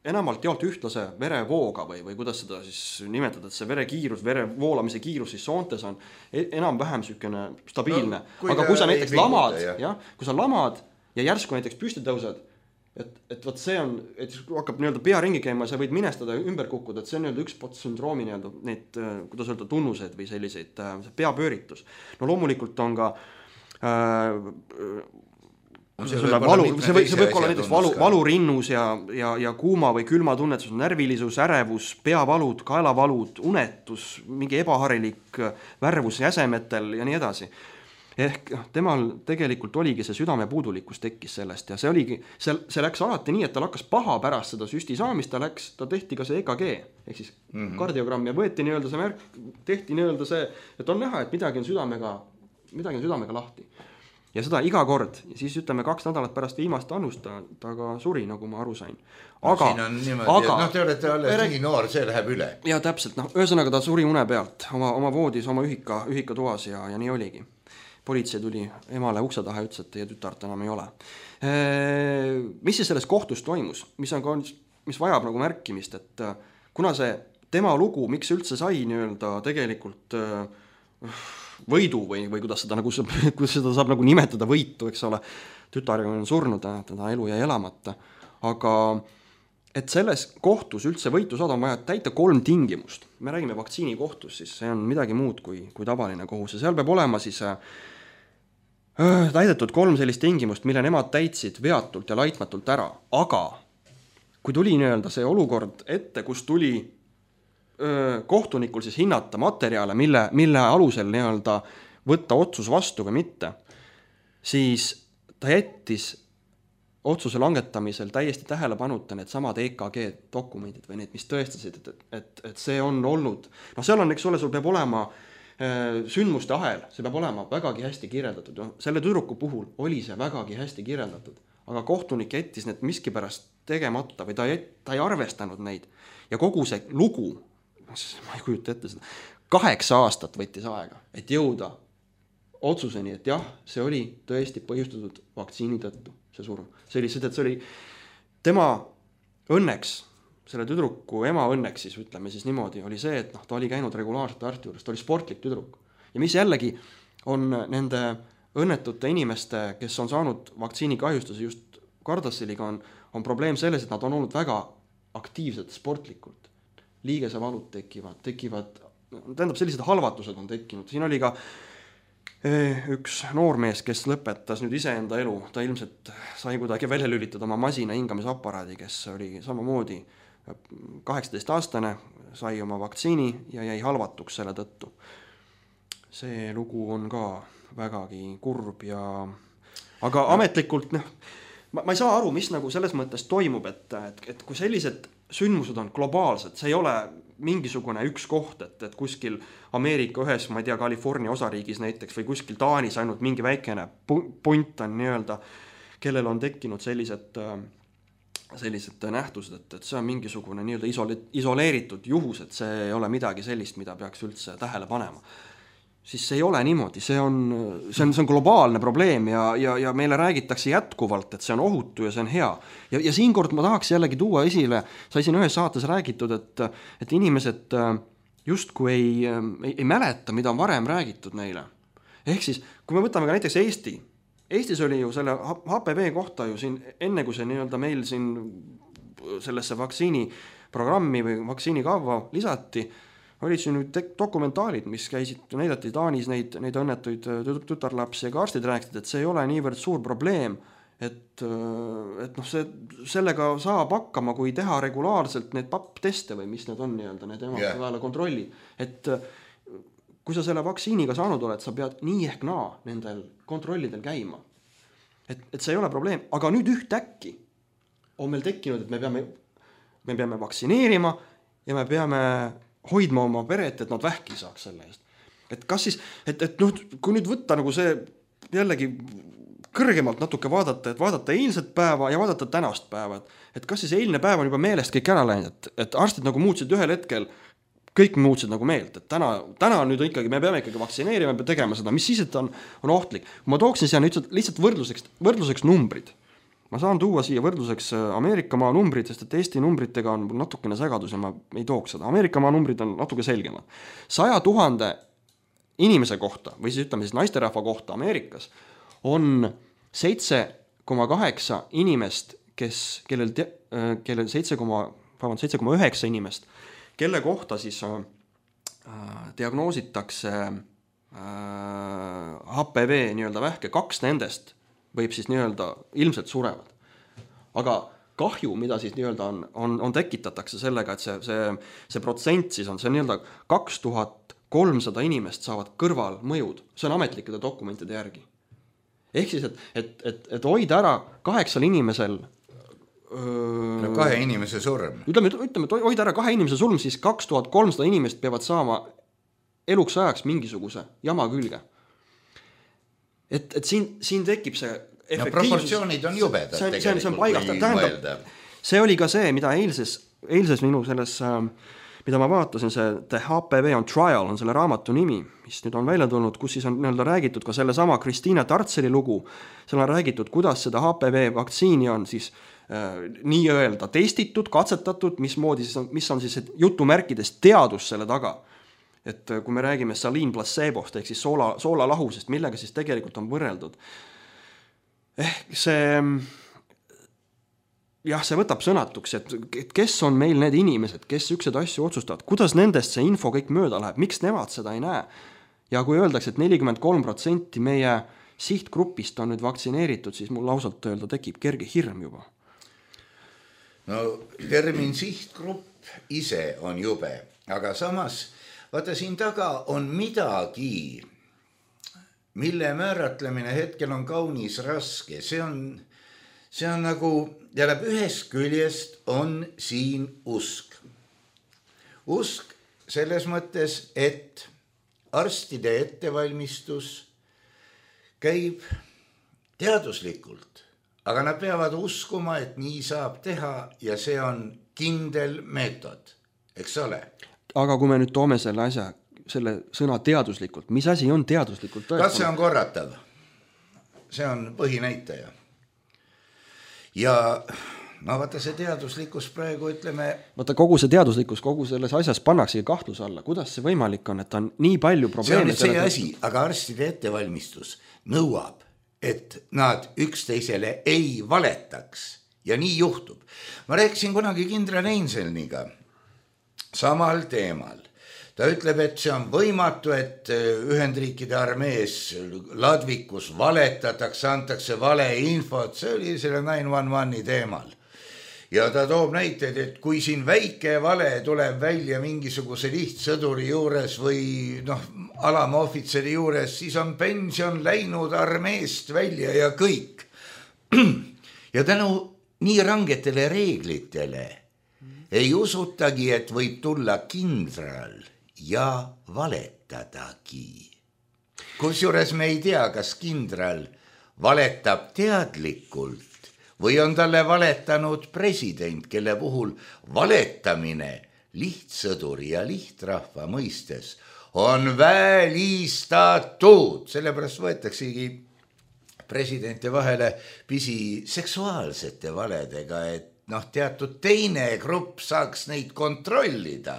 enamalt jaolt ühtlase verevooga või, või kuidas seda siis nimetada, et see verekiirus, vere voolamise kiirus siis soontes on enam-vähem sükene stabiilne. No, kui aga kui sa näiteks lamad, ja. Ja, kui sa lamad ja järsku näiteks püsti tõused, et, et võt see on, et hakkab nii-öelda pea ringi käima ja sa võid minestada ja ümber kukkuda, et see on nii-öelda üks P O T S-sündroomi nii-öelda need, kuidas öelda, tunnused või selliseid peapööritus. No loomulikult on ka äh, See, see, valu, see, võib, see võib olla näiteks valu, valurinnus ja, ja, ja kuuma või külma tunnetus, närvilisus, ärevus, peavalud, kaelavalud, unetus, mingi ebaharilik värvus jäsemetel ja nii edasi. ehk temal tegelikult oligi see südamepuudulikkus tekkis sellest ja see oligi, see, see läks alati nii, et tal hakkas paha pärast seda süsti saamist, ta läks, ta tehti ka see E K G, ehk siis mm-hmm. kardiogramm ja võeti nii-öelda see märk, tehti nii-öelda see, et on näha, et midagi on südamega, midagi on südamega lahti. Ja seda iga kord, ja siis ütleme kaks nädalat pärast viimast annust ta, ta ka suri, nagu ma aru sain. Aga,
no, siin on niimoodi, aga, noh, te olete alles nii noor, see läheb üle.
Ja täpselt, noh, ühesõnaga ta suri une pealt, oma, oma voodis, oma ühika, ühika toas ja, ja nii oligi. Politsei tuli emale ukse taha ja ütles, et teie tütart enam ei ole. Eee, mis siis selles kohtus toimus? Mis, on, mis vajab nagu märkimist, et kuna see tema lugu, miks üldse sai nii-öelda tegelikult võidu või, või kuidas seda, nagu, kuidas seda saab nagu nimetada võitu, eks ole, tütar on surnud, teda elu jäi elamata, aga et selles kohtus üldse võitu saada on vaja täita kolm tingimust. Me räägime vaktsiini kohtus, siis see on midagi muud kui, kui tavaline kohus ja seal peab olema siis äh, täidetud kolm sellist tingimust, mille nemad täitsid veatult ja laitmatult ära, aga kui tuli nii-öelda see olukord ette, kus tuli kohtunikul siis hinnata materjale, mille, mille alusel nii-öelda võtta otsus vastu või mitte, siis ta jättis otsuse langetamisel täiesti tähelepanuta need samad E K G dokumendid või need, mis tõestasid, et, et, et see on olnud, no seal on, eks ole, sul peab olema äh, sündmuste ahel, see peab olema vägagi hästi kirjeldatud, no, selle tüdruku puhul oli see vägagi hästi kirjeldatud, aga kohtunik jättis need miskipärast tegemata või ta, jät, ta ei arvestanud neid ja kogu see lugu, ma ei kujuta ette seda, kaheksa aastat võttis aega, et jõuda otsuseni, et jah, see oli tõesti põhjustatud vaktsiini tõttu, see surm. See oli seda, et see oli tema õnneks, selle tüdruku ema õnneks siis, ütleme siis niimoodi, oli see, et noh, ta oli käinud regulaarselt arsti juures, ta oli sportlik tüdruk. Ja mis jällegi on nende õnnetute inimeste, kes on saanud vaktsiini kahjustuse just Gardassiliga, on, on probleem selles, et nad on olnud väga aktiivsed sportlikult. Liigesevalud tekivad, tekivad, tähendab sellised halvatused on tekkinud. Siin oli ka üks noormees, kes lõpetas nüüd iseenda elu, ta ilmselt sai kuidagi välja lülitada oma masina hingamisaparaadi, kes oli samamoodi kaheksateist aastane, sai oma vaktsiini ja jäi halvatuks selle tõttu. See lugu on ka vägagi kurb ja aga ametlikult noh, ma, ma ei saa aru, mis nagu selles mõttes toimub, et, et, et kui sellised sündmused on globaalsed, see ei ole mingisugune üks koht, et, et kuskil Ameerika ühes, ma ei tea, California osariigis näiteks või kuskil Taanis ainult mingi väikene punt on nii-öelda, kellel on tekkinud sellised, sellised nähtused, et, et see on mingisugune nii-öelda isole, isoleeritud juhus, et see ei ole midagi sellist, mida peaks üldse tähele panema. Siis see ei ole niimoodi, see on, see on, see on globaalne probleem ja, ja, ja meile räägitakse jätkuvalt, et see on ohutu ja see on hea. Ja, ja siin kord ma tahaks jällegi tuua esile, sai siin ühes saates räägitud, et, et inimesed justkui ei, ei, ei mäleta, mida on varem räägitud neile. Ehk siis, kui me võtame ka näiteks Eesti, Eestis oli ju selle H P V kohta ju siin, enne kui see nii-öelda meil siin sellesse vaktsiiniprogrammi või vaktsiinikava lisati, olid siin nüüd dokumentaalid, mis käisid, näidati Taanis neid, neid õnnetuid tütarlapsi ja ka arstid rääksid, et see ei ole niivõrd suur probleem, et, et noh, see, sellega saab hakkama, kui teha regulaarselt need papp-teste või mis need on nii-öelda, need emad peale kontrolli, et kui sa selle vaktsiiniga saanud oled, sa pead nii ehk naa nendel kontrollidel käima. Et, et see ei ole probleem, aga nüüd ühtäkki on meil tekkinud, et me peame, me peame vaktsineerima ja me peame hoidma oma peret, et nad vähki saaks selle eest. Et kas siis, et, et noh, kui nüüd võtta nagu see jällegi kõrgemalt natuke vaadata, et vaadata eilset päeva ja vaadata tänast päeva, et, et kas siis eilne päev on juba meelest kõik ära läinud, et, et arstid nagu muutsid ühel hetkel, kõik muutsid nagu meelt, et täna, täna nüüd ikkagi, me peame ikkagi vaktsineerima, me peame tegema seda, mis siis, et on, on ohtlik. Ma tooksin siia nüüd lihtsalt võrdluseks, võrdluseks numbrid. Ma saan tuua siia võrdluseks Ameerika maa numbrid, sest et Eesti numbritega on natukene segadus ja ma ei tooks seda. Ameerika maa numbrid on natuke selgemad. Saja tuhande inimese kohta, või siis ütleme siis naisterahva kohta Ameerikas, on seitse koma kaheksa inimest, kes, kellel, kellel seitse koma üheksa inimest, kelle kohta siis äh, diagnoositakse äh, H P V nii-öelda vähke, kaks nendest võib siis nii-öelda ilmselt surevad. Aga kahju, mida siis nii-öelda on, on, on tekitatakse sellega, et see, see, see protsent siis on see nii-öelda kaks tuhat kolmsada inimest saavad kõrval mõjud, see on ametlikkude dokumentide järgi. Ehk siis, et, et, et, et hoida ära kaheksal inimesel öö,
no kahe inimese surm.
Ütleme, ütleme, et hoida ära kahe inimese surm, siis kaks tuhat kolmsada inimest peavad saama eluks ajaks mingisuguse jama külge. Et, et siin, siin tekib see efektiivsus. No proportsioonid on jubedad see,
tegelikult.
See on paigast, tähendab, see oli ka see, mida eilses, eilses minu selles, mida ma vaatasin, see The H P V on Trial on selle raamatu nimi, mis nüüd on välja tulnud, kus siis on nii-öelda räägitud ka selle sama Kristiina Tartseli lugu, seal on räägitud, kuidas seda H P V vaktsiini on siis äh, nii-öelda testitud, katsetatud, mismoodi siis on, mis on siis jutumärkides teadus selle taga. Et kui me räägime saliin placebost ehk siis soola, soolalahusest, millega siis tegelikult on võrreldud. Ehk see, jah, see võtab sõnatuks, et kes on meil need inimesed, kes ükseid asju otsustavad, kuidas nendest see info kõik mööda läheb, miks nemad seda ei näe. Ja kui öeldakse, et nelikümmend kolm protsenti meie sihtgrupist on nüüd vaktsineeritud, siis mul lausalt öelda tekib kerge hirm juba.
No termin sihtgrupp ise on jube, aga samas vaata siin taga on midagi, mille määratlemine hetkel on kaunis raske. See on, see on nagu, jällab ühest küljest on siin usk. Usk selles mõttes, et arstide ettevalmistus käib teaduslikult, aga nad peavad uskuma, et nii saab teha ja see on kindel meetod, eks ole?
Aga kui me nüüd toome selle asja, selle sõna teaduslikult, mis asi on teaduslikult?
Kas see on korratav? See on põhinäitaja. Ja no vaata see teaduslikkus praegu ütleme...
Vaata kogu see teaduslikkus, kogu selles asjas pannaksegi kahtluse alla. Kuidas see võimalik on, et on nii palju probleeme?
See on see asi, aga arstide ettevalmistus nõuab, et nad üksteisele ei valetaks. Ja nii juhtub. Ma rääkisin kunagi kindral Einselniga samal teemal. Ta ütleb, et see on võimatu, et Ühendriikide armees ladvikus valetatakse, antakse vale infot, see oli selle nine one one'i teemal. Ja ta toob näiteid, et kui siin väike vale tuleb välja mingisuguse lihtsõduri juures või noh, alama ohvitseri juures, siis on pension läinud armeest välja ja kõik. Ja tänu nii rangetele reeglitele ei usutagi, et võib tulla kindral ja valetadagi. Kusjuures me ei tea, kas kindral valetab teadlikult või on talle valetanud president, kelle puhul valetamine lihtsõduri ja lihtrahva mõistes on välistatud. Sellepärast võetaksegi presidente vahele pisi seksuaalsete valedega, et noh, teatud teine grupp saaks neid kontrollida,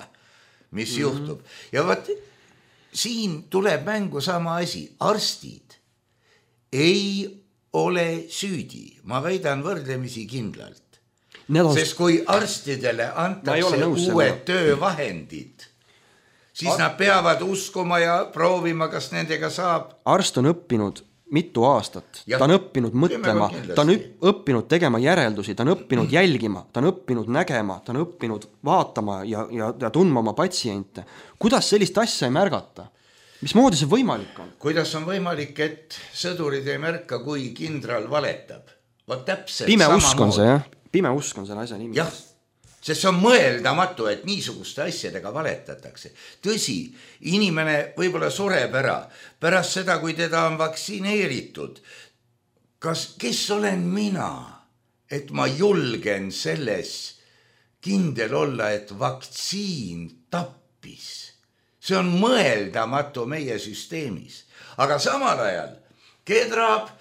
mis mm-hmm. juhtub. Ja vaat, siin tuleb mängu sama asi. Arstid ei ole süüdi. Ma väidan võrdlemisi kindlalt. On... Sest kui arstidele antakse uued töövahendid, siis Ar... nad peavad uskuma ja proovima, kas nendega saab.
Arst on õppinud mitu aastat, ja, ta on õppinud mõtlema, ta on õppinud tegema järeldusi, ta on õppinud jälgima, ta on õppinud nägema, ta on õppinud vaatama ja, ja, ja tundma oma patsiente. Kuidas sellist asja ei märgata? Mismoodi see võimalik on?
Kuidas on võimalik, et sõdurid ei märka, kui kindral valetab? Vaat täpselt
Pime usk on see, jah? Pime usk on selle asja nimi.
Jah, sest see on mõeldamatu, et niisuguste asjadega valetatakse. Tõsi, inimene võib-olla sureb ära pärast seda, kui teda on vaktsineeritud. Kas, kes olen mina, et ma julgen selles kindel olla, et vaktsiin tappis? See on mõeldamatu meie süsteemis. Aga samal ajal kedrab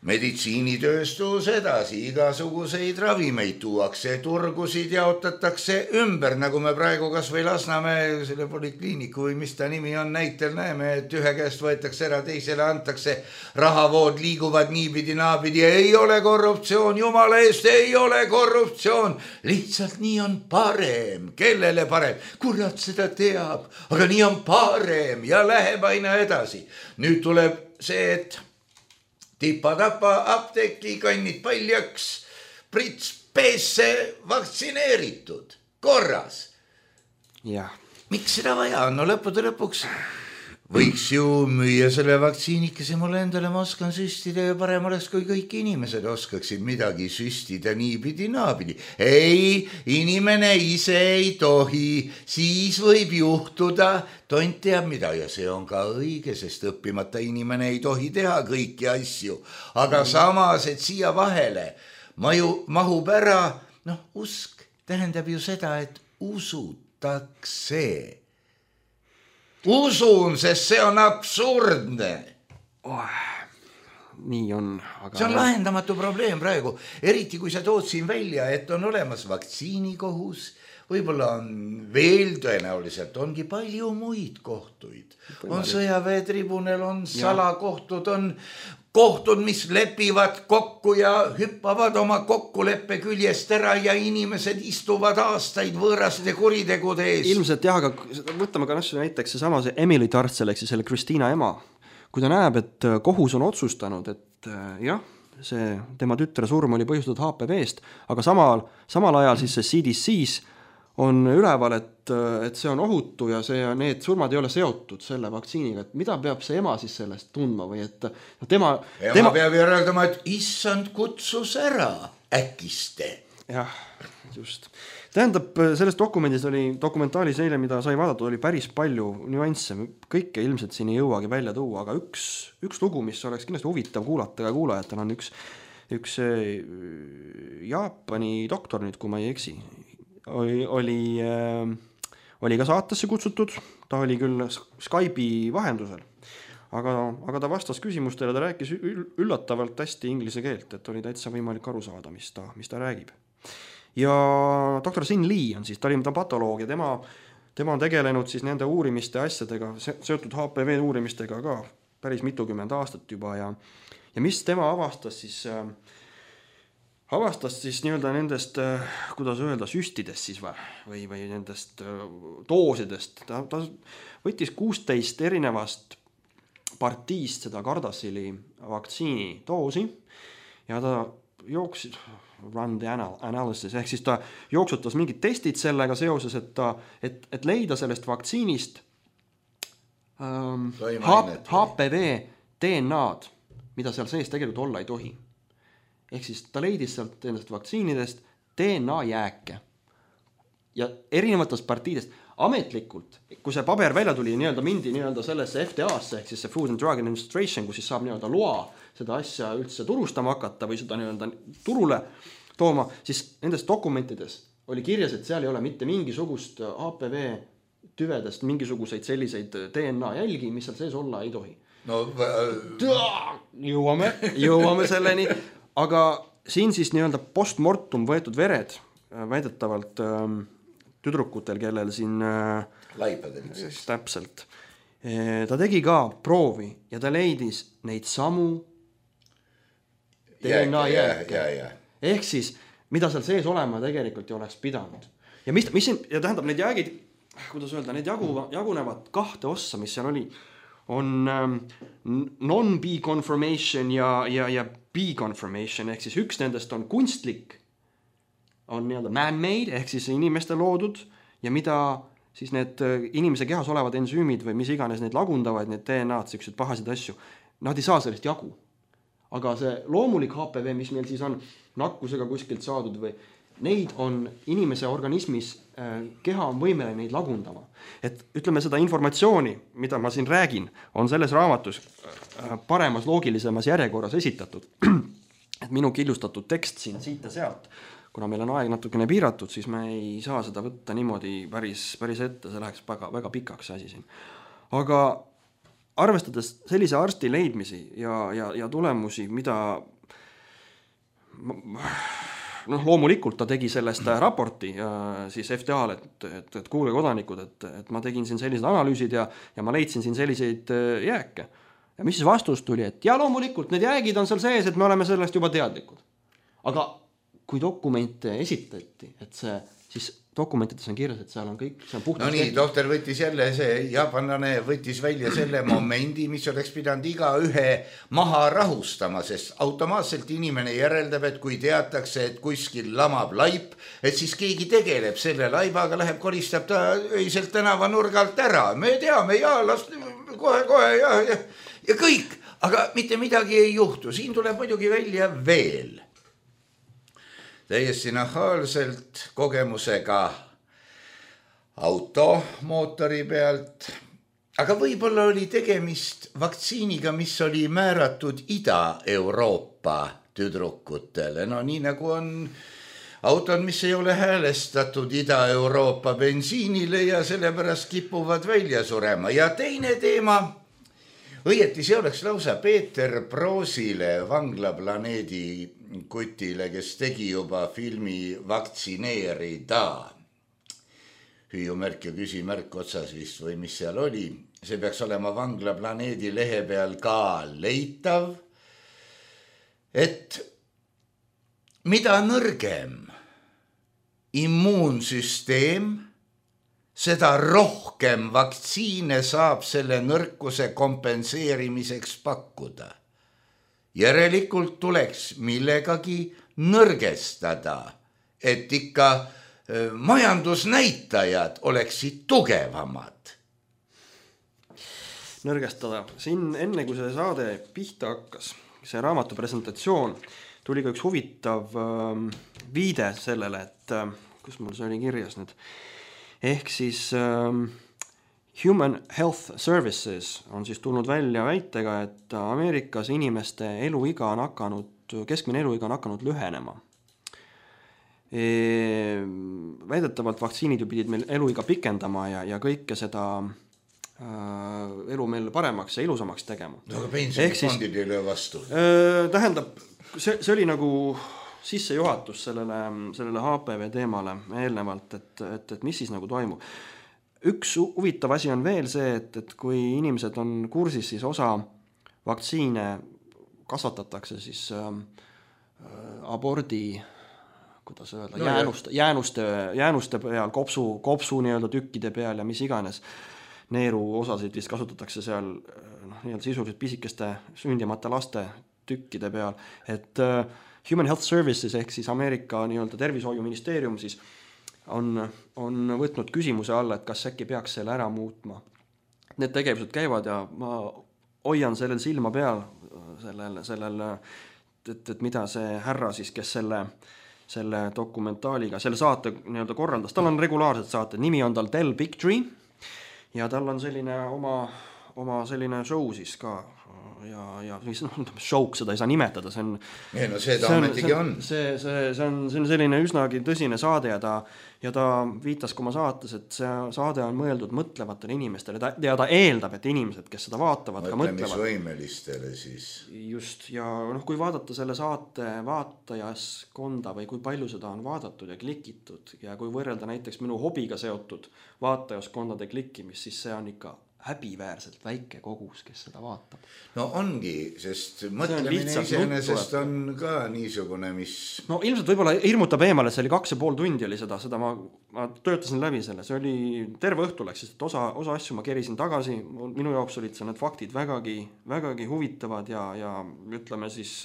meditsiinitööstus edasi, igasuguseid ravimeid tuuakse, turgusid jaotatakse ümber, nagu me praegu kas või Lasnamäe selle polikliiniku või mis ta nimi on näitel näeme, et ühe käest võetakse ära, teisele antakse, rahavood liiguvad niipidi naapidi, ei ole korruptsioon, jumala eest ei ole korruptsioon, lihtsalt nii on parem, kellele parem, kurat seda teab, aga nii on parem ja läheb aina edasi. Nüüd tuleb see, et tipa-tapa apteeki kannid paljaks, prits peesse vaktsineeritud, korras.
Jah.
miks seda vaja on? No lõppude lõpuks võiks ju müüa selle vaktsiinikese mulle endale, ma oskan süstida ja parem oleks, kui kõik inimesed oskaksid midagi süstida niipidi naapidi. Ei, inimene ise ei tohi, siis võib juhtuda, tont teab mida ja see on ka õige, sest õppimata inimene ei tohi teha kõiki asju. Aga samas, et siia vahele maju, mahub ära, noh, usk tähendab ju seda, et usutakse. Usun, sest see on absurdne.
Oh, nii on. Aga...
See on lahendamatu probleem praegu, eriti kui sa tood siin välja, et on olemas vaktsiinikohus, võib-olla on veel tõenäoliselt, ongi palju muid kohtuid. On sõjaväetribunal, on salakohtud, on kohtud, mis lepivad kokku ja hüppavad oma kokkuleppe küljest ära ja inimesed istuvad aastaid võõraste kuritegude ees.
Ilmselt jah, aga võtame ka näiteks see sama see Emily Tartsel, ehk siis selle Kristiina ema. Kui ta näeb, et kohus on otsustanud, et jah, see tema tütre surm oli põhjustatud H P V-st, aga samal, samal ajal siis see C D C-s on üleval, et, et see on ohutu ja see, need surmad ei ole seotud selle vaktsiiniga, et mida peab see ema siis sellest tundma või et tema...
Ema
tema...
peab järeldama, et issand kutsus ära äkiste.
Jah, just. Tähendab, selles dokumendis oli, dokumentaalis eile, mida sai vaadata, oli päris palju nüansse, kõike ilmselt siin ei jõuagi välja tuua, aga üks, üks lugu, mis oleks kindlasti huvitav kuulata ja kuulajatel on üks, üks Jaapani doktor nüüd, kui ma ei eksi, oli, oli, oli ka saatesse kutsutud, ta oli küll Skype'i vahendusel, aga, aga ta vastas küsimustele, ta rääkis üllatavalt hästi inglise keelt, et oli täitsa võimalik aru saada, mis ta, mis ta räägib. Ja doktor Sin Lee on siis, ta oli ta patoloog ja tema, tema on tegelenud siis nende uurimiste asjadega, seotud H P V uurimistega ka päris mitukümmend aastat juba ja, ja mis tema avastas siis... avastas siis nii-öelda nendest, kuidas öelda, süstidest siis või, või, või nendest doosidest. Ta, ta võttis kuusteist erinevast partiist seda Gardassili vaktsiini doosi ja ta jooksis, run the analysis, ehk siis ta jooksutas mingid testid sellega seoses, et, ta, et, et leida sellest vaktsiinist ähm, H P V D N A-d, mida seal sees tegelikult olla ei tohi. Ehk siis ta leidis sealt endast vaktsiinidest D N A jääke ja erinevatest partiidest ametlikult, kui see paber välja tuli, nii-öelda mindi nii-öelda sellesse F D A-sse, ehk siis see Food and Drug Administration, kus siis saab nii-öelda loa seda asja üldse turustama hakata või seda nii-öelda turule tooma, siis nendes dokumentides oli kirjas, et seal ei ole mitte mingisugust H P V tüvedest mingisuguseid selliseid D N A jälgi, mis seal sees olla ei tohi.
No, äh...
jõuame, jõuame selleni. Aga siin siis nii-öelda postmortum võetud vered väidetavalt ähm, tüdrukutel, kellel siin äh,
laipadel.
Täpselt. E, ta tegi ka proovi ja ta leidis neid samu D N A jääke. Ehk siis, mida seal sees olema tegelikult ei oleks pidanud. Ja mis, mis siin, ja tähendab, need jäägid, kuidas öelda, need jagu, jagunevad kahte ossa, mis seal oli, on ähm, non-B conformation ja, ja, ja B conformation, ehk siis üks nendest on kunstlik, on nii-öelda man-made, ehk siis inimeste loodud ja mida siis need inimese kehas olevad ensüümid või mis iganes need lagundavad, need D N A-d, sellised pahasid asju, nad ei saa sellest jagu. Aga see loomulik H P V, mis meil siis on nakkusega kuskilt saadud või neid on inimese organismis, keha on võimeline neid lagundama. Et ütleme seda informatsiooni, mida ma siin räägin, on selles raamatus paremas loogilisemas järjekorras esitatud. Et minu killustatud tekst siin siit ja sealt, kuna meil on aeg natukene piiratud, siis me ei saa seda võtta niimoodi päris, päris ette, see läheks väga, väga pikaks asi siin. Aga arvestades sellise arsti leidmisi ja, ja, ja tulemusi, mida noh, loomulikult ta tegi sellest raporti ja siis F D A-l, et, et, et kuule kodanikud, et, et ma tegin siin sellised analüüsid ja, ja ma leidsin siin selliseid jääke. Ja mis siis vastus tuli, et ja loomulikult need jäägid on seal sees, et me oleme sellest juba teadlikud. Aga kui dokumente esitati, et see siis dokumentides on kirjas, et seal on kõik, see on puhtalt
no nii, doktor võttis jälle see, jaapanlane võttis välja selle momendi, mis oleks pidanud iga ühe maha rahustama, sest automaatselt inimene järeldab, et kui teatakse, et kuskil lamab laip, et siis keegi tegeleb selle laibaga, läheb, koristab ta öiselt tänava nurgalt ära. Me teame, ja las kohe, kohe ja, ja, ja kõik, aga mitte midagi ei juhtu. Siin tuleb muidugi välja veel täiesti nahaalselt kogemusega automootori pealt, aga võib-olla oli tegemist vaktsiiniga, mis oli määratud Ida-Euroopa tüdrukutele. No nii nagu on autod, mis ei ole häälestatud Ida-Euroopa bensiinile ja sellepärast kipuvad välja surema. Ja teine teema, õieti see oleks lausa Peeter Proosile, Vanglaplaneedi kutile, kes tegi juba filmi Vaktsineerida. Hüüumärk ja küsimärk otsas vist või mis seal oli. See peaks olema Vanglaplaneedi lehe peal ka leitav. Et mida nõrgem immuunsüsteem, seda rohkem vaktsiine saab selle nõrkuse kompenseerimiseks pakkuda. Järelikult tuleks millegagi nõrgestada, et ikka majandusnäitajad oleksid tugevamad.
Nõrgestada. Siin enne, kui see saade pihta hakkas, see raamatu presentatsioon, tuli ka üks huvitav äh, viide sellele, et äh, kus mul see oli kirjas nüüd. Ehk siis äh, Human Health Services on siis tulnud välja väitega, et Ameerikas inimeste eluiga on hakanud, keskmine eluiga on hakanud lühenema. E, väidetavalt vaktsiinid ju pidid meil eluiga pikendama ja, ja kõike seda äh, elu meil paremaks ja ilusamaks tegema.
No, aga pensionifondid ei löö vastu.
Äh, tähendab, see, see oli nagu sissejuhatus sellele, sellele H P V teemale eelnevalt, et, et, et mis siis nagu toimub. Üks huvitav asi on veel see, et, et kui inimesed on kursis, siis osa vaktsiine kasvatatakse siis äh, abordi, kuidas öelda, no, jäänuste, jäänuste, jäänuste peal, kopsu, kopsu nii-öelda tükkide peal ja mis iganes. Neeru osasid vist kasutatakse seal noh, nii-öelda sisuliselt pisikeste sündimata laste tükkide peal. Et äh, Human Health Services ehk siis Ameerika nii-öelda tervishoiuministeerium siis on, on võtnud küsimuse alla, et kas äkki peaks selle ära muutma. Need tegevused käivad ja ma hoian sellel silma peal, sellel, sellel, et, et mida see härra siis, kes selle, selle dokumentaaliga, selle saate nii-öelda korraldas, tal on regulaarsed saated, nimi on tal Tell Big Tree ja tal on selline oma, oma selline show siis ka ja, ja no, showk seda ei saa nimetada, see on
ei, no see ta ametigi on.
See, see, see, on, see on selline üsnagi tõsine saade ja ta, ja ta viitas ka oma saates, et see saade on mõeldud mõtlevatele inimestele ja ta eeldab, et inimesed, kes seda vaatavad, ka mõtlevad.
Mõtlemisvõimelistele siis.
Just, ja noh, kui vaadata selle saate vaatajaskonda või kui palju seda on vaadatud ja klikitud ja kui võrrelda näiteks minu hobiga seotud vaatajaskondade klikkimist, siis see on ikka häbiväärselt väike kogus, kes seda vaatab.
No ongi, sest mõtlemine iseenesest on ka niisugune, mis... No
ilmselt võib-olla hirmutab eemale, et see oli kaks ja pool tundi oli seda, seda ma, ma töötasin läbi selle, see oli terve õhtu läks, sest osa, osa asju ma kerisin tagasi, minu jaoks olid see need faktid vägagi, vägagi huvitavad ja, ja ütleme siis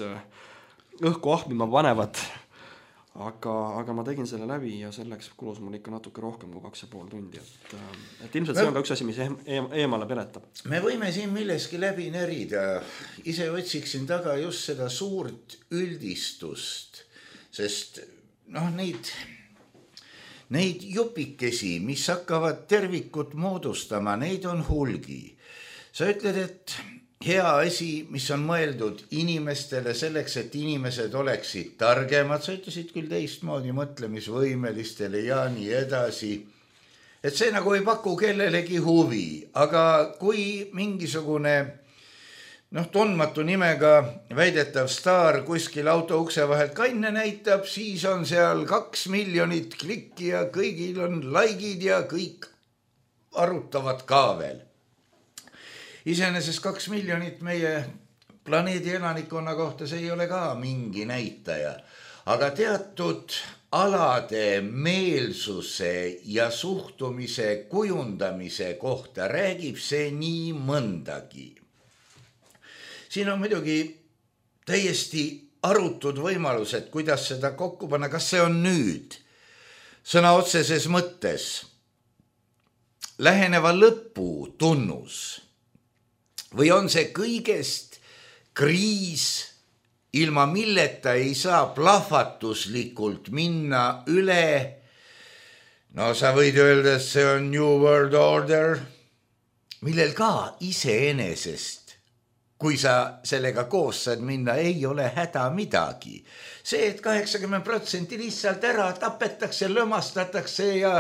õhku ahmima panevad. Aga, aga ma tegin selle läbi ja selleks kulus mul ikka natuke rohkem kui kaks ja pool tundi. Et, et ilmselt see on ka üks asi, mis eemale peletab.
Me võime siin milleski läbi närida. Ise otsiksin taga just seda suurt üldistust, sest noh, neid, neid jupikesi, mis hakkavad tervikut moodustama, neid on hulgi. Sa ütled, et hea asi, mis on mõeldud inimestele selleks, et inimesed oleksid targemad, sa ütlesid küll teistmoodi mõtlemisvõimelistele ja nii edasi, et see nagu ei paku kellelegi huvi, aga kui mingisugune noh, tundmatu nimega väidetav staar kuskil auto ukse vahelt kanne näitab, siis on seal kaks miljonit klikki ja kõigil on likeid ja kõik arutavad ka veel. Iseenesest kaks miljonit meie planeedi elanikkonna kohta, see ei ole ka mingi näitaja. Aga teatud alade meelsuse ja suhtumise kujundamise kohta räägib see nii mõndagi. Siin on muidugi täiesti arutud võimalused, kuidas seda kokku panna, kas see on nüüd sõna otseses mõttes läheneva lõpu tunnus või on see kõigest kriis, ilma milleta ei saa plahvatuslikult minna üle. No sa võid öelda, et see on New World Order, millel ka iseenesest, kui sa sellega koos saad minna, ei ole häda midagi. See, et kaheksakümmend protsenti lihtsalt ära tapetakse, lömastatakse ja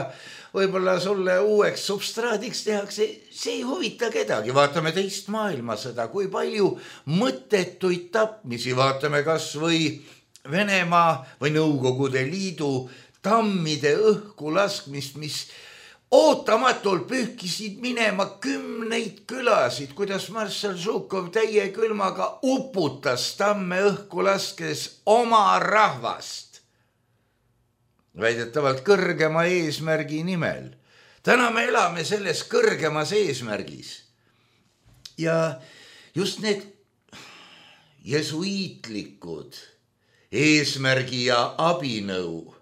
võib-olla sulle uueks substraadiks tehakse, see ei huvita kedagi. Vaatame teist maailmasõda, kui palju mõttetuid tapmisi, vaatame kas või Venemaa või Nõukogude Liidu tammide õhku laskmist, mis ootamatult pühkisid minema kümneid külasid, kuidas Marssal Žukov täie külmaga uputas tamme õhku laskes oma rahvast. Väidetavalt kõrgema eesmärgi nimel. Täna me elame selles kõrgemas eesmärgis. Ja just need jesuiitlikud eesmärgi ja abinõu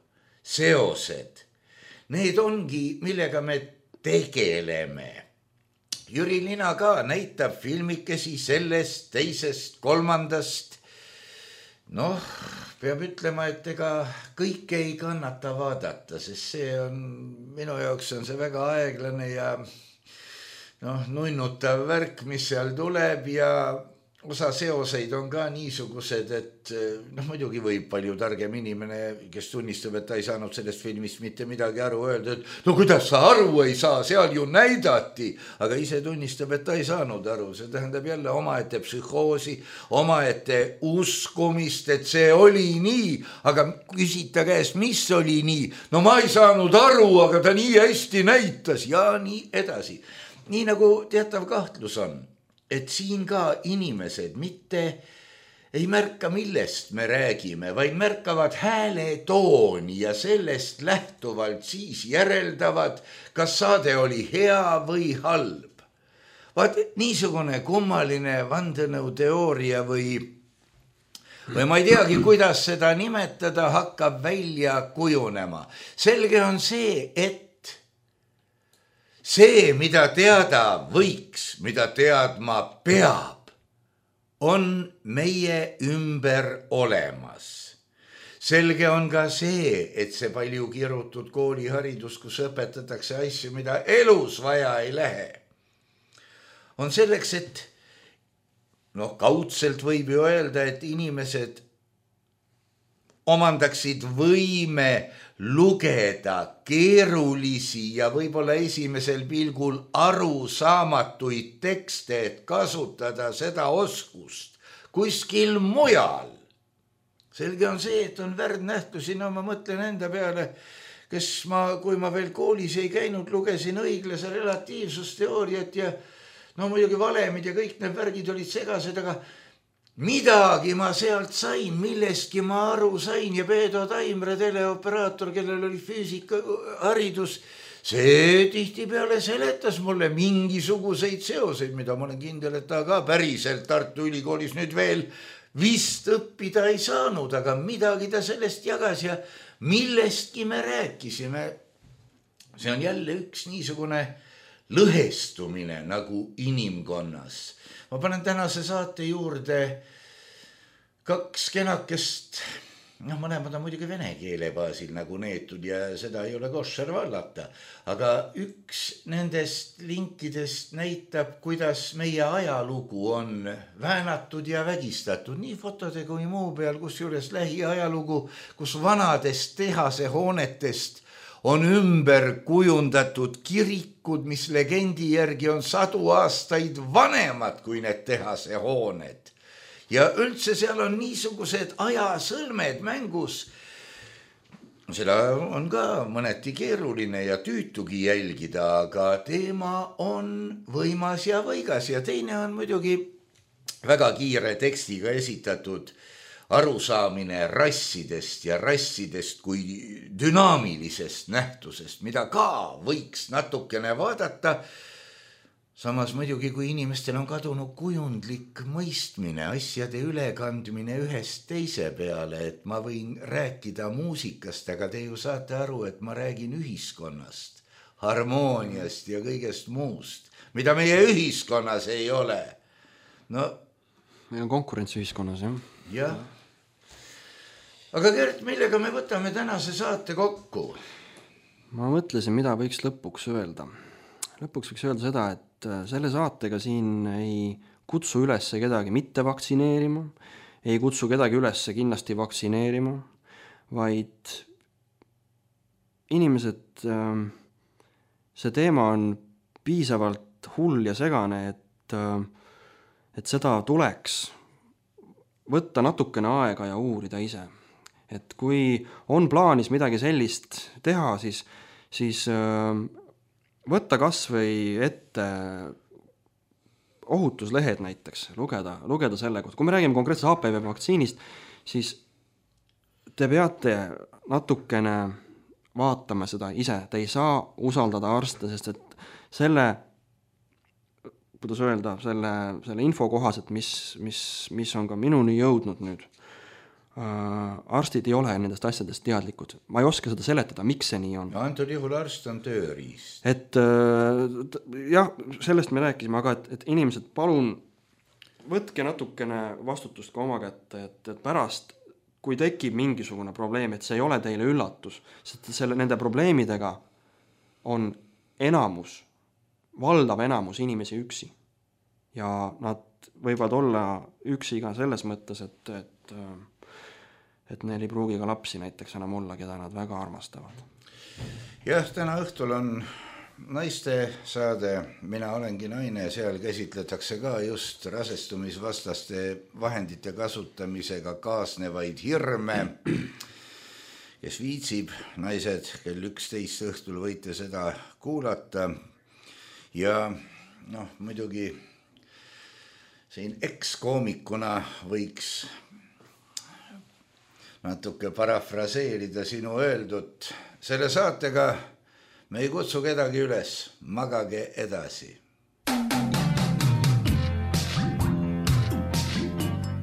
seosed, need ongi, millega me tegeleme. Jüri Lina ka näitab filmikesi sellest, teisest, kolmandast. Noh, peab ütlema, et ega kõike ei kannata vaadata, sest see on, minu jaoks on see väga aeglane ja noh, nunnutav värk, mis seal tuleb ja osa seoseid on ka niisugused, et noh, muidugi võib palju targem inimene, kes tunnistab, et ta ei saanud sellest filmist mitte midagi aru öelda, et no kuidas sa aru ei saa, seal ju näidati, aga ise tunnistab, et ta ei saanud aru. See tähendab jälle omaette psühhoosi, omaette uskumist, et see oli nii, aga küsita käest, mis oli nii? No ma ei saanud aru, aga ta nii hästi näitas ja nii edasi. Nii nagu teatav kahtlus on, et siin ka inimesed mitte ei märka, millest me räägime, vaid märkavad hääle tooni ja sellest lähtuvalt siis järeldavad, kas saade oli hea või halb. Vaat niisugune kummaline vandenõuteooria või, või ma ei teagi, kuidas seda nimetada, hakkab välja kujunema. Selge on see, et see, mida teada võiks, mida teadma peab, on meie ümber olemas. Selge on ka see, et see palju kirutud kooliharidus, kus õpetatakse asju, mida elus vaja ei lähe, on selleks, et noh, kaudselt võib ju öelda, et inimesed omandaksid võime lugeda keerulisi ja võib-olla esimesel pilgul arusaamatuid tekste, et kasutada seda oskust kuskil mujal. Selge on see, et on värdnähtusi, no ma mõtlen enda peale, kes ma, kui ma veel koolis ei käinud, lugesin õiglase relatiivsusteooriat ja no muidugi valemid ja kõik need värgid olid segased, aga midagi ma sealt sain, millestki ma aru sain ja Peedo Taimre, teleoperaator, kellel oli füüsika haridus, see tihtipeale seletas mulle mingisuguseid seoseid, mida ma olen kindel, et ta ka päriselt Tartu Ülikoolis nüüd veel vist õppida ei saanud, aga midagi ta sellest jagas ja millestki me rääkisime. See on jälle üks niisugune lõhestumine nagu inimkonnas. Ma panen tänase saate juurde kaks kenakest, noh, mõlemad on muidugi vene keele baasil nagu neetud ja seda ei ole koššer vallata, aga üks nendest linkidest näitab, kuidas meie ajalugu on väänatud ja vägistatud, nii fotode kui muu peal, kus juures lähiajalugu, kus vanadest tehase hoonetest on ümber kujundatud kirikud, mis legendi järgi on sadu aastaid vanemad kui need tehase hooned. Ja üldse seal on niisugused ajasõlmed mängus. Seda on ka mõneti keeruline ja tüütugi jälgida, aga teema on võimas ja võigas ja teine on muidugi väga kiire tekstiga esitatud arusaamine rassidest ja rassidest kui dünaamilisest nähtusest, mida ka võiks natukene vaadata. Samas muidugi, kui inimestel on kadunud kujundlik mõistmine, asjade ülekandmine ühest teise peale, et ma võin rääkida muusikast, aga te ju saate aru, et ma räägin ühiskonnast, harmooniast ja kõigest muust, mida meie ühiskonnas ei ole. No,
meil on konkurents ühiskonnas, jah?
Jah. Aga Gert, millega me võtame tänase saate kokku?
Ma mõtlesin, mida võiks lõpuks öelda. Lõpuks võiks öelda seda, et selle saatega siin ei kutsu üles kedagi mitte vaktsineerima, ei kutsu kedagi üles kindlasti vaktsineerima, vaid inimesed, see teema on piisavalt hull ja segane, et, et seda tuleks võtta natukene aega ja uurida ise. Et kui on plaanis midagi sellist teha, siis, siis võtta kas või ette ohutuslehed näiteks, lugeda, lugeda selle kohta. Kui me räägime konkreetselt H P V vaktsiinist, siis te peate natukene vaatama seda ise. Te ei saa usaldada arste, sest et selle, kuidas öelda, selle, selle info kohaselt, mis, mis, mis on ka minuni jõudnud nüüd, arstid ei ole nendest asjadest teadlikud. Ma ei oska seda seletada, miks see nii on.
Ja antud juhul arst on tööriist.
Et jah, sellest me rääkisime, aga et, et inimesed, palun võtke natukene vastutust ka oma kätte, et, et pärast, kui tekib mingisugune probleem, et see ei ole teile üllatus, sest selle, nende probleemidega on enamus, valdav enamus inimesi üksi. Ja nad võivad olla üksi ka selles mõttes, et, et et neil ei pruugi ka lapsi näiteks enam olla, keda nad väga armastavad.
Jah, täna õhtul on naiste saade, mina olengi naine, seal käsitletakse ka just rasestumisvastaste vahendite kasutamisega kaasnevaid hirme. Kes viitsib, naised, kell üksteist õhtul võite seda kuulata. Ja noh, muidugi siin ekskoomikuna võiks natuke parafraseerida sinu öeldut. Selle saatega me ei kutsu kedagi üles, magage edasi.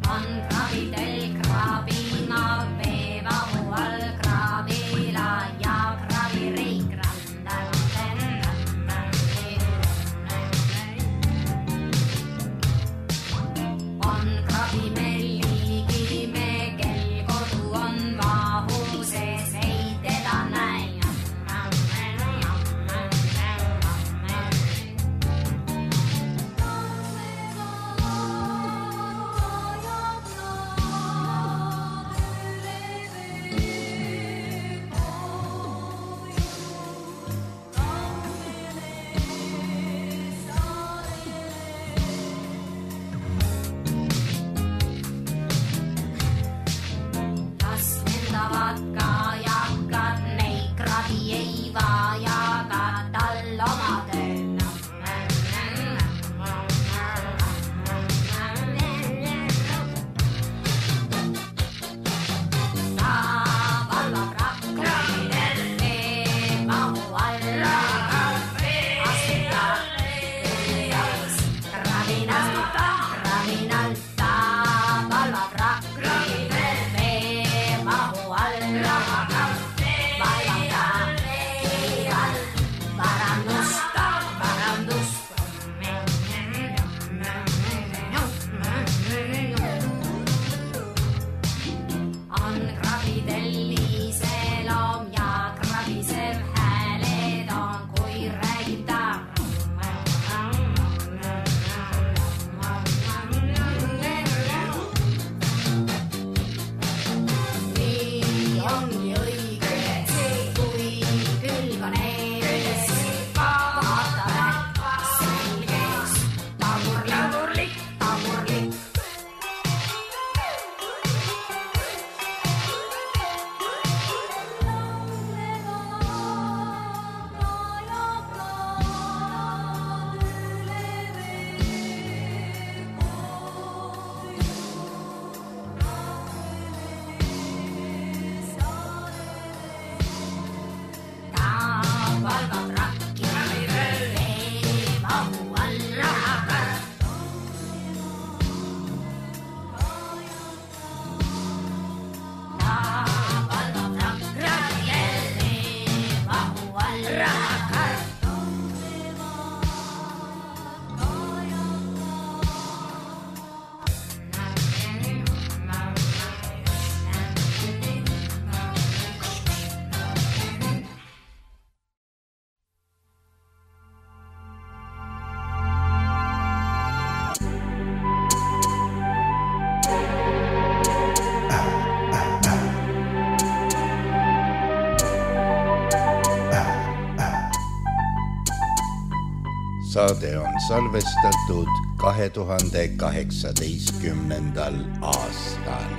On kravidel krabina, veevahu all kravila ja kravireik randal. On kravimelli Saade on salvestatud kahe tuhande kaheksateistkümnendal aastal.